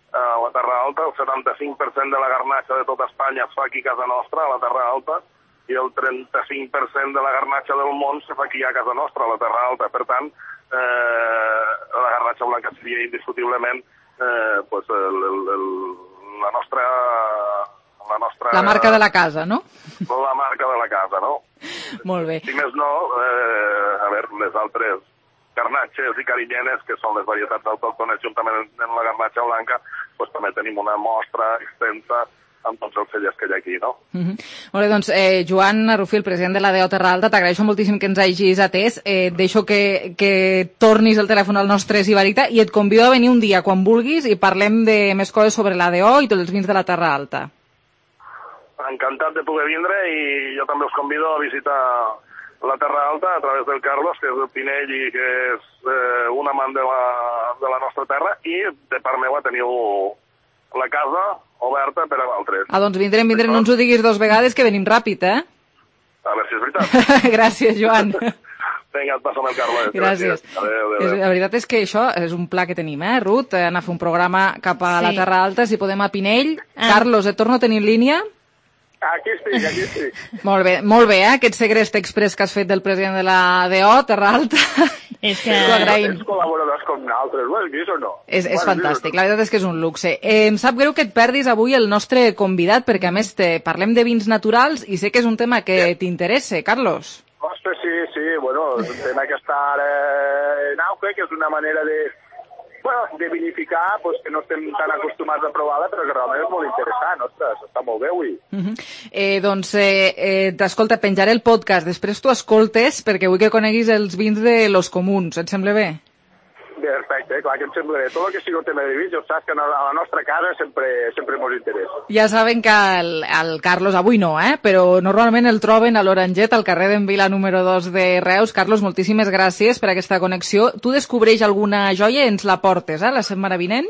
a la Terra Alta, el 75% de la garnatxa de tota Espanya es fa aquí a casa nostra, a la Terra Alta, i el 35% de la garnatxa del món se fa aquí a casa nostra, a la Terra Alta. Per tant, la garnatxa blanca seria indiscutiblement la nostra... La marca de la casa, no? La marca de la casa, no? Molt bé. Si més no, les altres garnatxes i carinyenes, que són les varietats autòctones juntament amb la garnatxa blanca, doncs també tenim una mostra extensa amb tots els cellers que hi ha aquí, no? Molt bé, doncs, Joan Arrufí, el president de la DO Terra Alta, t'agraeixo moltíssim que ens hagis atès. Deixo que tornis el telèfon al nostre sibarita i et convido a venir un dia, quan vulguis, i parlem de més coses sobre la DO i tots els vins de la Terra Alta. Encantat de poder vindre i jo també us convido a visitar la Terra Alta a través del Carlos, que és el Pinell i que és un amant de la nostra terra, i de part meva teniu la casa oberta per a altres. Doncs vindrem, no ens ho diguis 2 vegades, que venim ràpid, A veure si és veritat. Gràcies, Joan. Vinga, et passo amb el Carles. Gràcies. Adéu. La veritat és que això és un pla que tenim, Ruth? Anar a fer un programa cap a la Terra Alta, si podem a Pinell. Carlos, et torno a tenir en línia? Aquí estic. Molt bé, aquest segrest express que has fet del president de la DO, Terra Alta. És que... T'ho agraïm. Tens col·laboradors com nosaltres, ho has vist o no? És fantàstic, la veritat és que és un luxe. Em sap greu que et perdis avui el nostre convidat, perquè a més parlem de vins naturals i sé que és un tema que t'interessa, Carlos. Ostres, sí, bueno, és un tema que està ara en auge, que és una manera de vinificar, que no estem tan acostumats a provar-la, però que realment és molt interessant, ostres, està molt bé avui. T'escolta, penjaré el podcast, després tu escoltes, perquè vull que coneguis els vins de Los Comuns, et sembla bé? Perfecte, clar que em sembla bé. Tot el que sigui un tema de vins, ja saps que a la nostra casa sempre ens interessa. Ja saben que el Carlos, avui no, però normalment el troben a l'Oranget, al carrer d'en Vila número 2 de Reus. Carlos, moltíssimes gràcies per aquesta connexió. Tu descobreix alguna joia i ens la portes, la setmana vinent?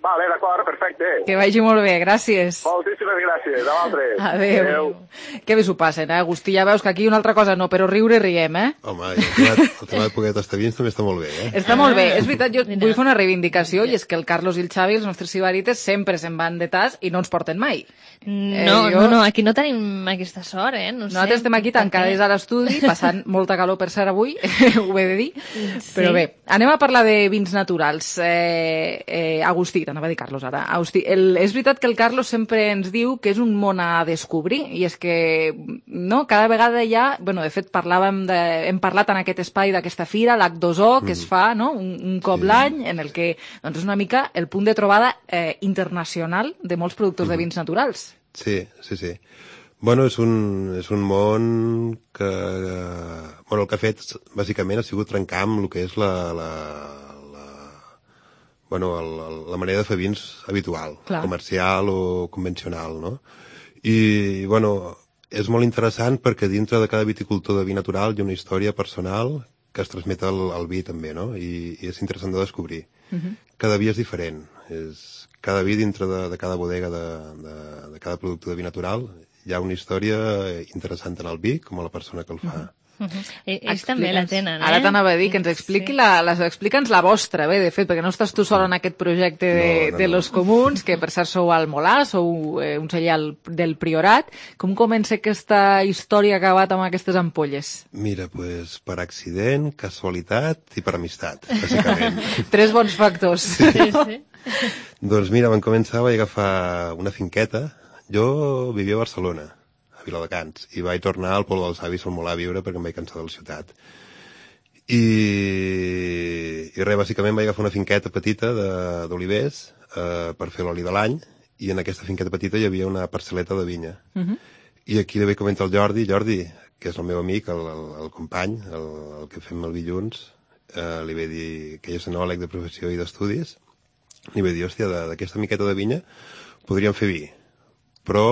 Vale, d'acord, perfecte. Que vagi molt bé, gràcies. Moltíssimes gràcies, a vosaltres. Adéu. Que bé s'ho passen, Agustí, ja veus que aquí una altra cosa no, però riure riem, Home, el tema de poder tastar vins també està molt bé, Està molt bé, és veritat, jo vull fer una reivindicació, i és que el Carlos i el Xavi, els nostres sibarites, sempre se'n van de tas i no ens porten mai. No, aquí no tenim aquesta sort, Nosaltres estem aquí tancades a l'estudi, passant molta calor per ser avui, ho he de dir, però bé, anem a parlar de vins naturals. Agustí, t'anava a dir Carlos ara. Agustí, és veritat que el Carlos sempre ens diu que és un món a descobrir, i és que cada vegada de fet hem parlat en aquest espai d'aquesta fira, l'H2O, que es fa un cop l'any, en el que és una mica el punt de trobada internacional de molts productors de vins naturals. Sí. Bueno, és un món que... el que ha fet, bàsicament, ha sigut trencar amb el que és la manera de fer vins habitual, comercial o convencional, no? I, és molt interessant perquè dintre de cada viticultor de vi natural hi ha una història personal que es transmet al vi també, no? I és interessant de descobrir. Cada vi és diferent. Cada vi dintre de cada bodega de cada producte de vi natural hi ha una història interessant tant al vi com a la persona que el fa. Ells també la tenen, Ara t'anava a dir que ens expliqui explica'ns la vostra, bé, de fet, perquè no estàs tu sol en aquest projecte de Los Comuns, que per cert sou al Molà, sou un celler del Priorat. Com comença aquesta història que ha acabat amb aquestes ampolles? Mira, per accident, casualitat i per amistat, bàsicament. 3 bons factors. Sí. Doncs mira, vam començar, vaig agafar una finqueta. Jo vivia a Barcelona, a Viladecans, i vaig tornar al Poble dels Avis al Molà a viure perquè em vaig cansar de la ciutat. I res, bàsicament vaig agafar una finqueta petita d'olivers per fer l'oli de l'any, i en aquesta finqueta petita hi havia una parcel·leta de vinya. I aquí li vaig comentar al Jordi, que és el meu amic, el company, el que fem el vi junts, li vaig dir que ell és enòleg de professió i d'estudis, li vaig dir, hòstia, d'aquesta miqueta de vinya podríem fer vi, però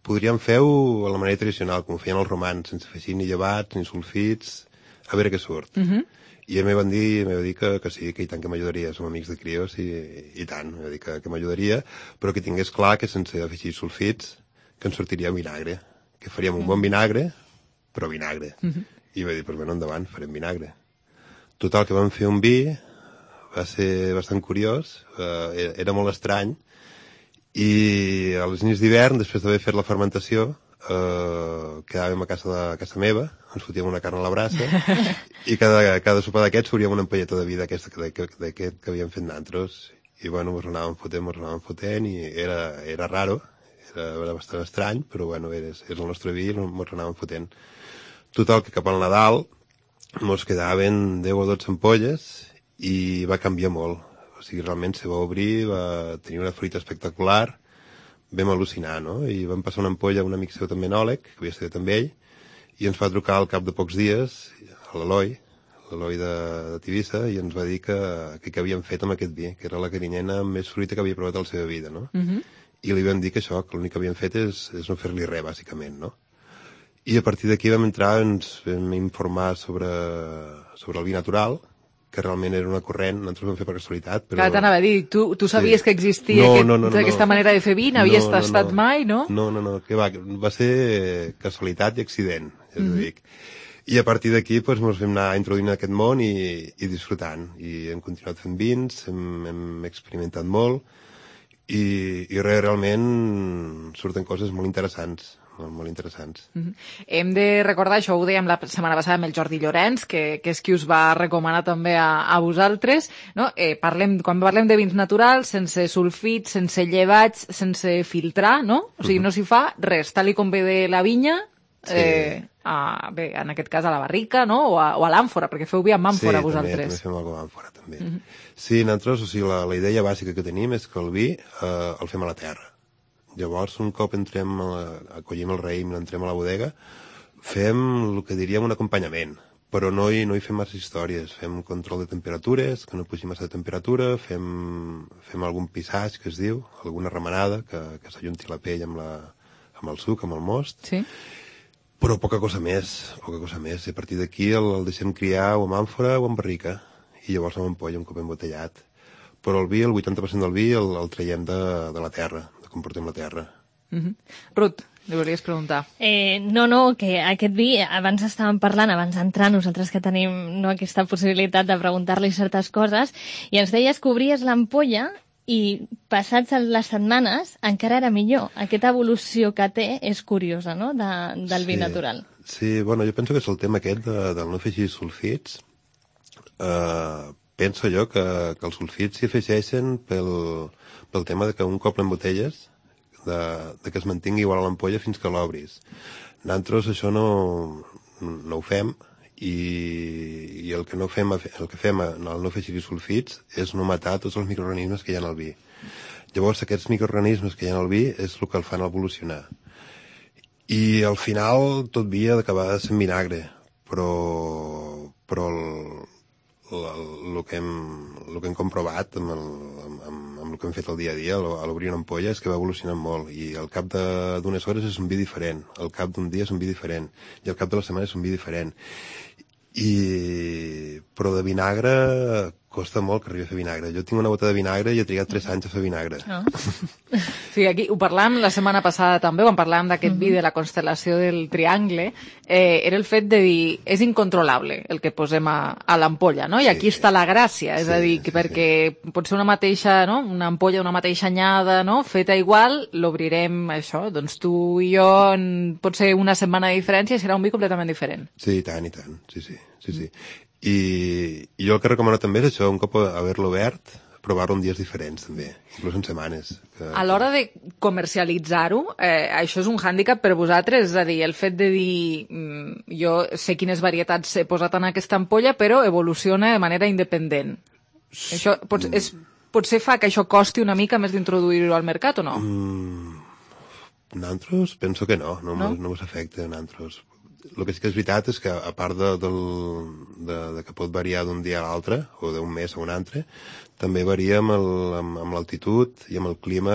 podríem fer-ho a la manera tradicional, com feien els romans, sense fer ni llevats, ni sulfits, a veure què surt. I ell m'ho va dir que sí, que i tant que m'ajudaria, som amics de crios i tant, m'ho va dir que m'ajudaria, però que tingués clar que sense afegir sulfits que ens sortiria vinagre, que faríem un bon vinagre, però vinagre. I va dir, doncs bueno, endavant, farem vinagre. Total, que vam fer un vi, va ser bastant curiós, era molt estrany, i a les nits d'hivern, després d'haver fet la fermentació, quedàvem a casa meva, ens fotíem una carn a la brasa, i cada sopar d'aquests fouríem una ampolleta de vi d'aquest que havíem fet nantros. I bueno, mos anàvem fotent, i era raro, era bastant estrany, però bueno, és el nostre vi i mos anàvem fotent. Total, que cap al Nadal mos quedaven 10 o 12 ampolles i va canviar molt. O sigui, realment se va obrir, va tenir una fruita espectacular, vam al·lucinar, no? I vam passar una ampolla a un amic seu també enòleg, que havia estudiat amb ell, i ens va trucar al cap de pocs dies, a l'Eloi de Tivissa, i ens va dir que havíem fet amb aquest vi, que era la carinyena amb més fruita que havia provat a la seva vida, no? I li vam dir que això, que l'únic que havíem fet és no fer-li res, bàsicament, no? I a partir d'aquí vam entrar, ens vam informar sobre el vi natural, que realment era una corrent, nosaltres vam fer per casualitat, però... Clar, t'anava a dir, tu sabies que existia aquesta manera de fer vi, n'havies tastat mai, no? No, que va ser casualitat i accident, ja t'ho dic. I a partir d'aquí ens vam anar introduint en aquest món i disfrutant. I hem continuat fent vins, hem experimentat molt i realment surten coses molt interessants. Molt interessants. Hem de recordar, això ho dèiem la setmana passada amb el Jordi Llorenç, que és qui us va recomanar també a vosaltres, no? Quan parlem de vins naturals, sense sulfits, sense llevats, sense filtrar, no? O sigui, no s'hi fa res, tal com ve de la vinya, bé, en aquest cas a la barrica, no? O a l'àmfora, perquè feu vi amb àmfora vosaltres. Sí, també fem alguna cosa amb àmfora, també. Sí, nosaltres, o sigui, la idea bàsica que tenim és que el vi el fem a la terra. Llavors, un cop acollim el raïm i l'entrem a la bodega, fem el que diríem un acompanyament, però no hi fem massa històries. Fem control de temperatures, que no pugi massa de temperatura, fem algun pissatge, que es diu, alguna remenada, que s'ajunti la pell amb el suc, amb el most, sí. Però poca cosa més. I a partir d'aquí el deixem criar o amb àmfora o amb barrica, i llavors amb ampolla, un cop embotellat. Però el vi, el 80% del vi el traiem de la terra, com portem la terra. Ruth, li volies preguntar. No, que aquest vi, abans estàvem parlant, abans d'entrar, nosaltres que tenim aquesta possibilitat de preguntar-li certes coses, i ens deies que obries l'ampolla i passats les setmanes encara era millor. Aquesta evolució que té és curiosa, no?, del vi natural. Sí, bueno, jo penso que és el tema aquest del no afegir sulfits. Penso jo que els sulfits s'hi afegeixen pel tema de que un cop l'embotelles, de que es mantingui igual a l'ampolla fins que l'obris. Nosaltres això no ho fem, i el que fem al no afegir sulfits és no matar tots els microorganismes que hi ha en el vi. Llavors aquests microorganismes que hi ha en el vi és el que el fan evolucionar. I al final tot vi ha d'acabar sent vinagre, però el que hem comprovat amb el que hem fet el dia a dia, a l'obrir una ampolla, és que va evolucionant molt, i al cap d'unes hores és un vi diferent, al cap d'un dia és un vi diferent, i al cap de la setmana és un vi diferent. Però de vinagre costa molt que arribi a fer vinagre. Jo tinc una bota de vinagre i he trigat 3 anys a fer vinagre. Sí, aquí ho parlàvem la setmana passada també, quan parlàvem d'aquest vi de la constel·lació del triangle, era el fet de dir, és incontrolable el que posem a l'ampolla, no? I aquí està la gràcia, és a dir, perquè pot ser una mateixa, no?, una ampolla, una mateixa anyada, no?, feta igual, l'obrirem, això, doncs tu i jo, pot ser una setmana de diferència i serà un vi completament diferent. Sí, i tant, sí. I jo el que recomano també és això, un cop haver-lo obert, provar-lo en dies diferents també, inclús en setmanes. A l'hora de comercialitzar-ho, això és un hàndicap per vosaltres, és a dir, el fet de dir jo sé quines varietats he posat en aquesta ampolla, però evoluciona de manera independent. Això potser fa que això costi una mica més d'introduir-ho al mercat o no? Nosaltres penso que no ens afecta a nosaltres. El que sí que és veritat és que, a part de que pot variar d'un dia a l'altre, o d'un mes a un altre, també varia amb l'altitud i amb el clima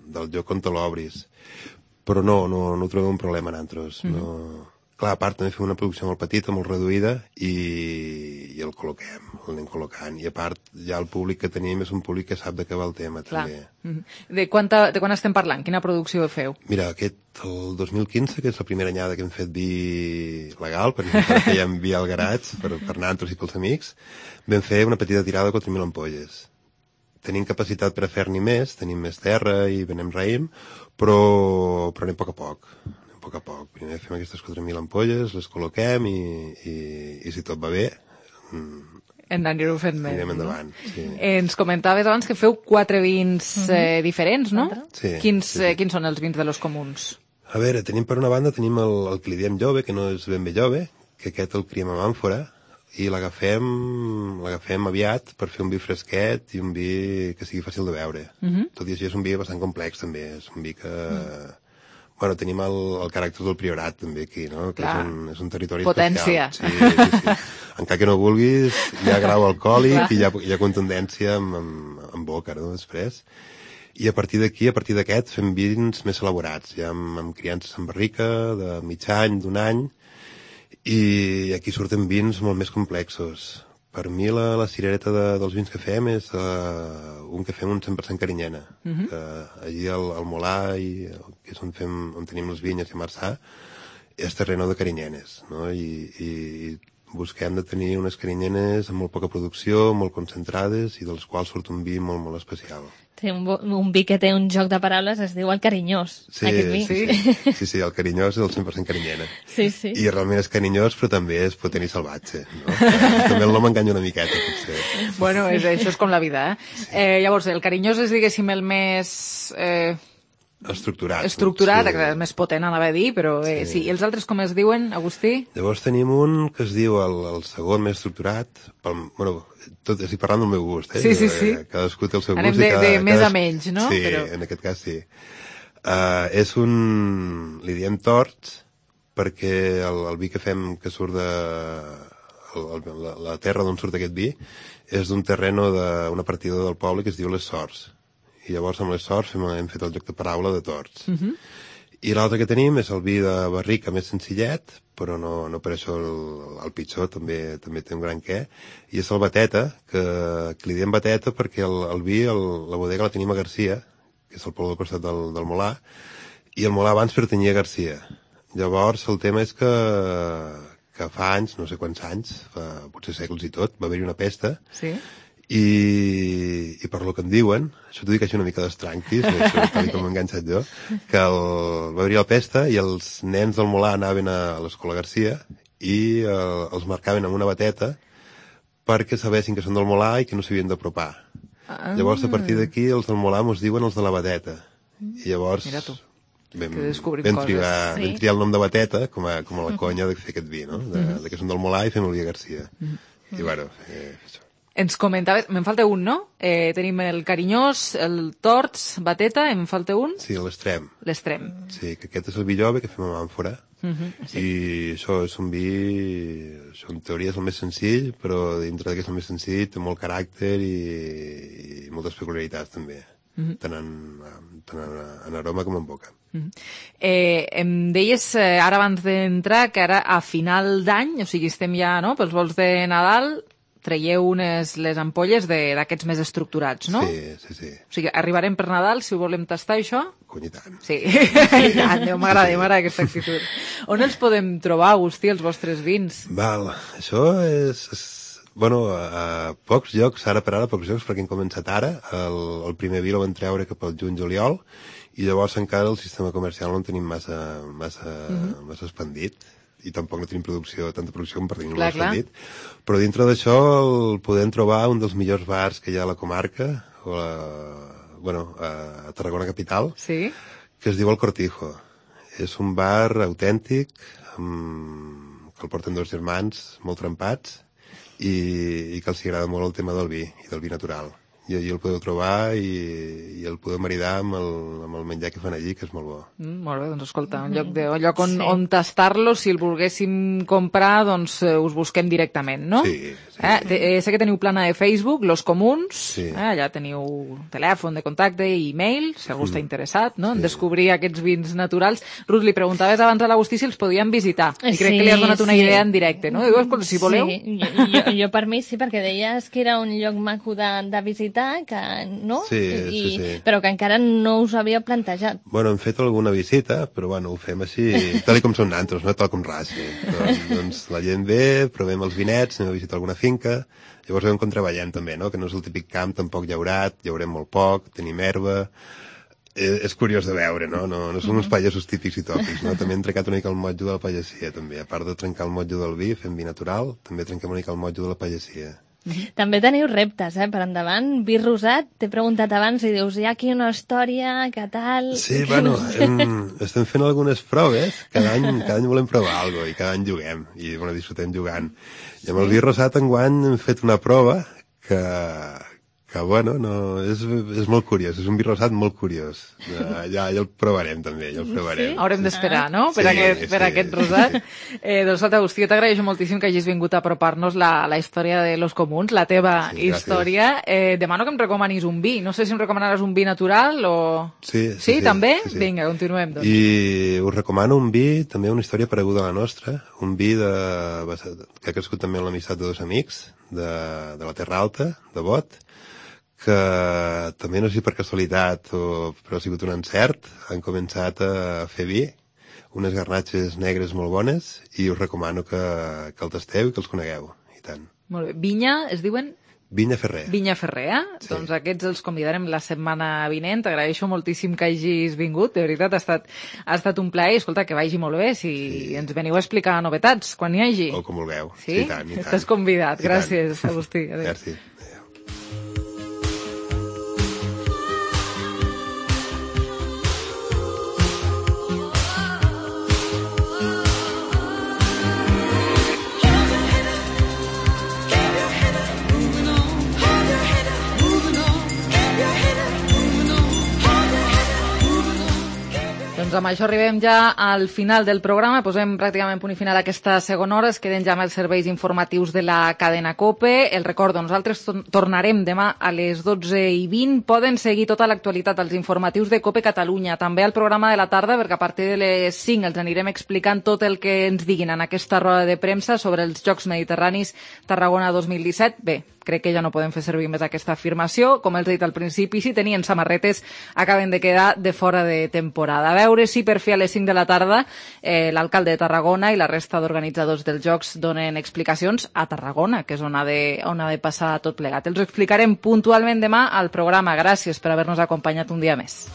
del lloc on te l'obris. Però no ho trobem un problema nosaltres. Clar, a part també fem una producció molt petita, molt reduïda, i el col·loquem, l'anem col·locant. I a part, ja el públic que tenim és un públic que sap de què va el tema, també. De quan estem parlant? Quina producció feu? Mira, el 2015, que és la primera anyada que hem fet vi legal, perquè fèiem vi al garatge, per nosaltres i pels amics, vam fer una petita tirada de 4.000 ampolles. Tenim capacitat per a fer-n'hi més, tenim més terra i venem raïm, però anem a poc a poc. Primer fem aquestes 4.000 ampolles, les col·loquem i si tot va bé anireu fent més. Anirem endavant, sí. Ens comentaves abans que feu 4 vins diferents, no? Sí. Quins són els vins de los comuns? A veure, per una banda tenim el que li diem jove, que no és ben bé jove, que aquest el criem amb àmfora, i l'agafem aviat per fer un vi fresquet i un vi que sigui fàcil de beure. Tot i així és un vi bastant complex també, és un vi que... Bueno, tenim el caràcter del Priorat també aquí, no? Que és un territori potència. Especial. Sí. Encara que no vulguis, hi ha grau alcohòlic i hi ha contundència en boca, no? Després. I a partir d'aquí, a partir d'aquest, fem vins més elaborats, ja amb criances en barrica, de mig any, d'un any, i aquí surten vins molt més complexos. Per mi la cirereta dels vins que fem és un que fem un 100% carinyena. Allí al Molar, que és on tenim les vinyes i a Marçà, és terreno de carinyenes, no? I busquem de tenir unes carinyenes amb molt poca producció, molt concentrades, i dels quals surt un vi molt, molt especial. Té un vi que té un joc de paraules, es diu el carinyós, aquest vi. Sí, el carinyós és el 100% carinyena. Sí. I realment és carinyós, però també és potent i salvatge, no? També el nom enganya una miqueta, potser. Bueno, això és com la vida, llavors, el carinyós és, diguéssim, el més... Estructurat, el més potent, anava a dir, però sí. I els altres com es diuen, Agustí? Llavors tenim un que es diu el segon més estructurat, bueno, tot estic parlant del meu gust, Sí. Cadascú té el seu gust. Anem de més a menys, no? Sí, en aquest cas sí. És li diem torts, perquè el vi que fem, que surt de la terra d'on surt aquest vi, és d'un terreno d'una partida del poble que es diu Les Sorts. I llavors amb Les Sorts hem fet el joc de paraula de torts. I l'altre que tenim és el vi de barrica més senzillet, però no per això el pitjor, també té un gran què, i és el Bateta, que li diem Bateta perquè el vi, la bodega la tenim a Garcia, que és el poble del costat del Molar, i el Molar abans pertanyia a Garcia. Llavors el tema és que fa anys, no sé quants anys, potser segles i tot, va haver-hi una pesta, i per lo que em diuen, això t'ho dic així una mica d'estranquis, tal com m'he enganxat jo, que va haver-hi la pesta i els nens del Molar anaven a l'escola Garcia i els marcaven amb una bateta perquè sabessin que són del Molar i que no s'havien d'apropar. Llavors, a partir d'aquí, els del Molar mos diuen els de la bateta. I llavors vam triar el nom de bateta com a la conya de fer aquest vi, no? De que són del Molar i fem el vi a Garcia. I bueno, això. Ens comentaves, me'n falta un, no? Tenim el carinyós, el torts, bateta, em falta un? Sí, l'extrem. L'extrem. Sí, que aquest és el vi jove que fem amb àmfora. I això és un vi, això en teoria és el més senzill, però dintre d'aquest el més senzill té molt caràcter i moltes peculiaritats també, tant en aroma com en boca. Em deies ara abans d'entrar que ara a final d'any, o sigui estem ja pels vols de Nadal, traieu les ampolles d'aquests més estructurats, no? Sí. O sigui, arribarem per Nadal, si ho volem tastar, això? Cony, i tant. Sí, i tant, m'agrada aquesta actitud. On els podem trobar, Agustí, els vostres vins? Val, això és... Bueno, a pocs llocs, ara per ara, pocs llocs, perquè hem començat ara. El primer vi el vam treure cap al juny-juliol, i llavors encara el sistema comercial no en tenim massa expandit. I tampoc no tenim tanta producció com per tenir-lo expandit. Però dintre d'això el podem trobar un dels millors bars que hi ha a la comarca, a Tarragona capital, que es diu El Cortijo. És un bar autèntic, que el porten dos germans molt trempats, i que els agrada molt el tema del vi, i del vi natural. I allí el podeu trobar i el podeu maridar amb el menjar que fan allí, que és molt bo. Molt bé, doncs escolta, un lloc on tastar-lo, si el volguéssim comprar, doncs us busquem directament, no? Sí. Sé que teniu plana de Facebook, Los Comuns, allà teniu telèfon de contacte i e-mail, si algú està interessat, no? En descobrir aquests vins naturals. Ruth, li preguntaves abans a l'Agustí si els podien visitar, i crec que li has donat una idea en directe, no? Diu, escolta, si voleu... Sí, jo per mi sí, perquè deies que era un lloc maco de visitar, que no? Sí. Però que encara no us havia plantejat. Bueno, hem fet alguna visita, però bueno, ho fem així, tal com són nantros, no tal com raci. Doncs la gent ve, provem els vinets, anem a visitar alguna finca, llavors veiem com treballem també, no? Que no és el típic camp tampoc llaurat, llaurem molt poc, tenim herba... És curiós de veure, no? No són uns pagesos típics i tòpics, no? També hem trencat una mica el motjo de la pagesia, també. A part de trencar el motjo del vi, fem vi natural, també trenquem una mica el motjo de la pagesia. També teniu reptes, per endavant. Vi rosat, t'he preguntat abans i dius, hi ha aquí una història, què tal? Sí, bueno, estem fent algunes proves, cada any volem provar alguna cosa i cada any juguem, i bueno, disfrutem jugant. I amb el vi rosat enguany hem fet una prova que bueno, és molt curiós, és un vi rosat molt curiós. Ja el provarem també, ja el provarem. Sí? Haurem d'esperar, no?, per aquest rosat. Doncs, Agustí, jo t'agraeixo moltíssim que hagis vingut a apropar-nos la història de Los Comuns, la teva història. Demano que em recomanis un vi. No sé si em recomanaràs un vi natural o... Sí, també? Sí. Vinga, continuem, doncs. I us recomano un vi, també una història pareguda a la nostra, un vi que ha crescut també en l'amistat de dos amics de la Terra Alta, de Bot, que també no sé si per casualitat però ha sigut un encert, han començat a fer vi, unes garnatxes negres molt bones i us recomano que el tasteu i que els conegueu, i tant. Molt bé. Vinya, es diuen? Vinya Ferrer. Vinya Ferrer, sí. Doncs aquests els convidarem la setmana vinent. T'agraeixo moltíssim que hagis vingut. De veritat, ha estat un plaer. Escolta, que vagi molt bé. Si ens veniu a explicar novetats, quan hi hagi. O com vulgueu. Sí? I tant. Estàs convidat. Gràcies, Agustí. Adéu. Merci. Doncs amb això arribem ja al final del programa, posem pràcticament punt i final a aquesta segona hora, es queden ja amb els serveis informatius de la cadena COPE. El recordo, nosaltres tornarem demà a les 12:20. Poden seguir tota l'actualitat als informatius de COPE Catalunya, també al programa de la tarda, perquè a partir de les 5 els anirem explicant tot el que ens diguin en aquesta roda de premsa sobre els Jocs Mediterranis Tarragona 2017. Bé, crec que ja no podem fer servir més aquesta afirmació. Com els he dit al principi, si tenien samarretes, acaben de quedar de fora de temporada. A veure si per fi a les 5 de la tarda l'alcalde de Tarragona i la resta d'organitzadors dels Jocs donen explicacions a Tarragona, que és on ha de passar tot plegat. Els ho explicarem puntualment demà al programa. Gràcies per haver-nos acompanyat un dia més.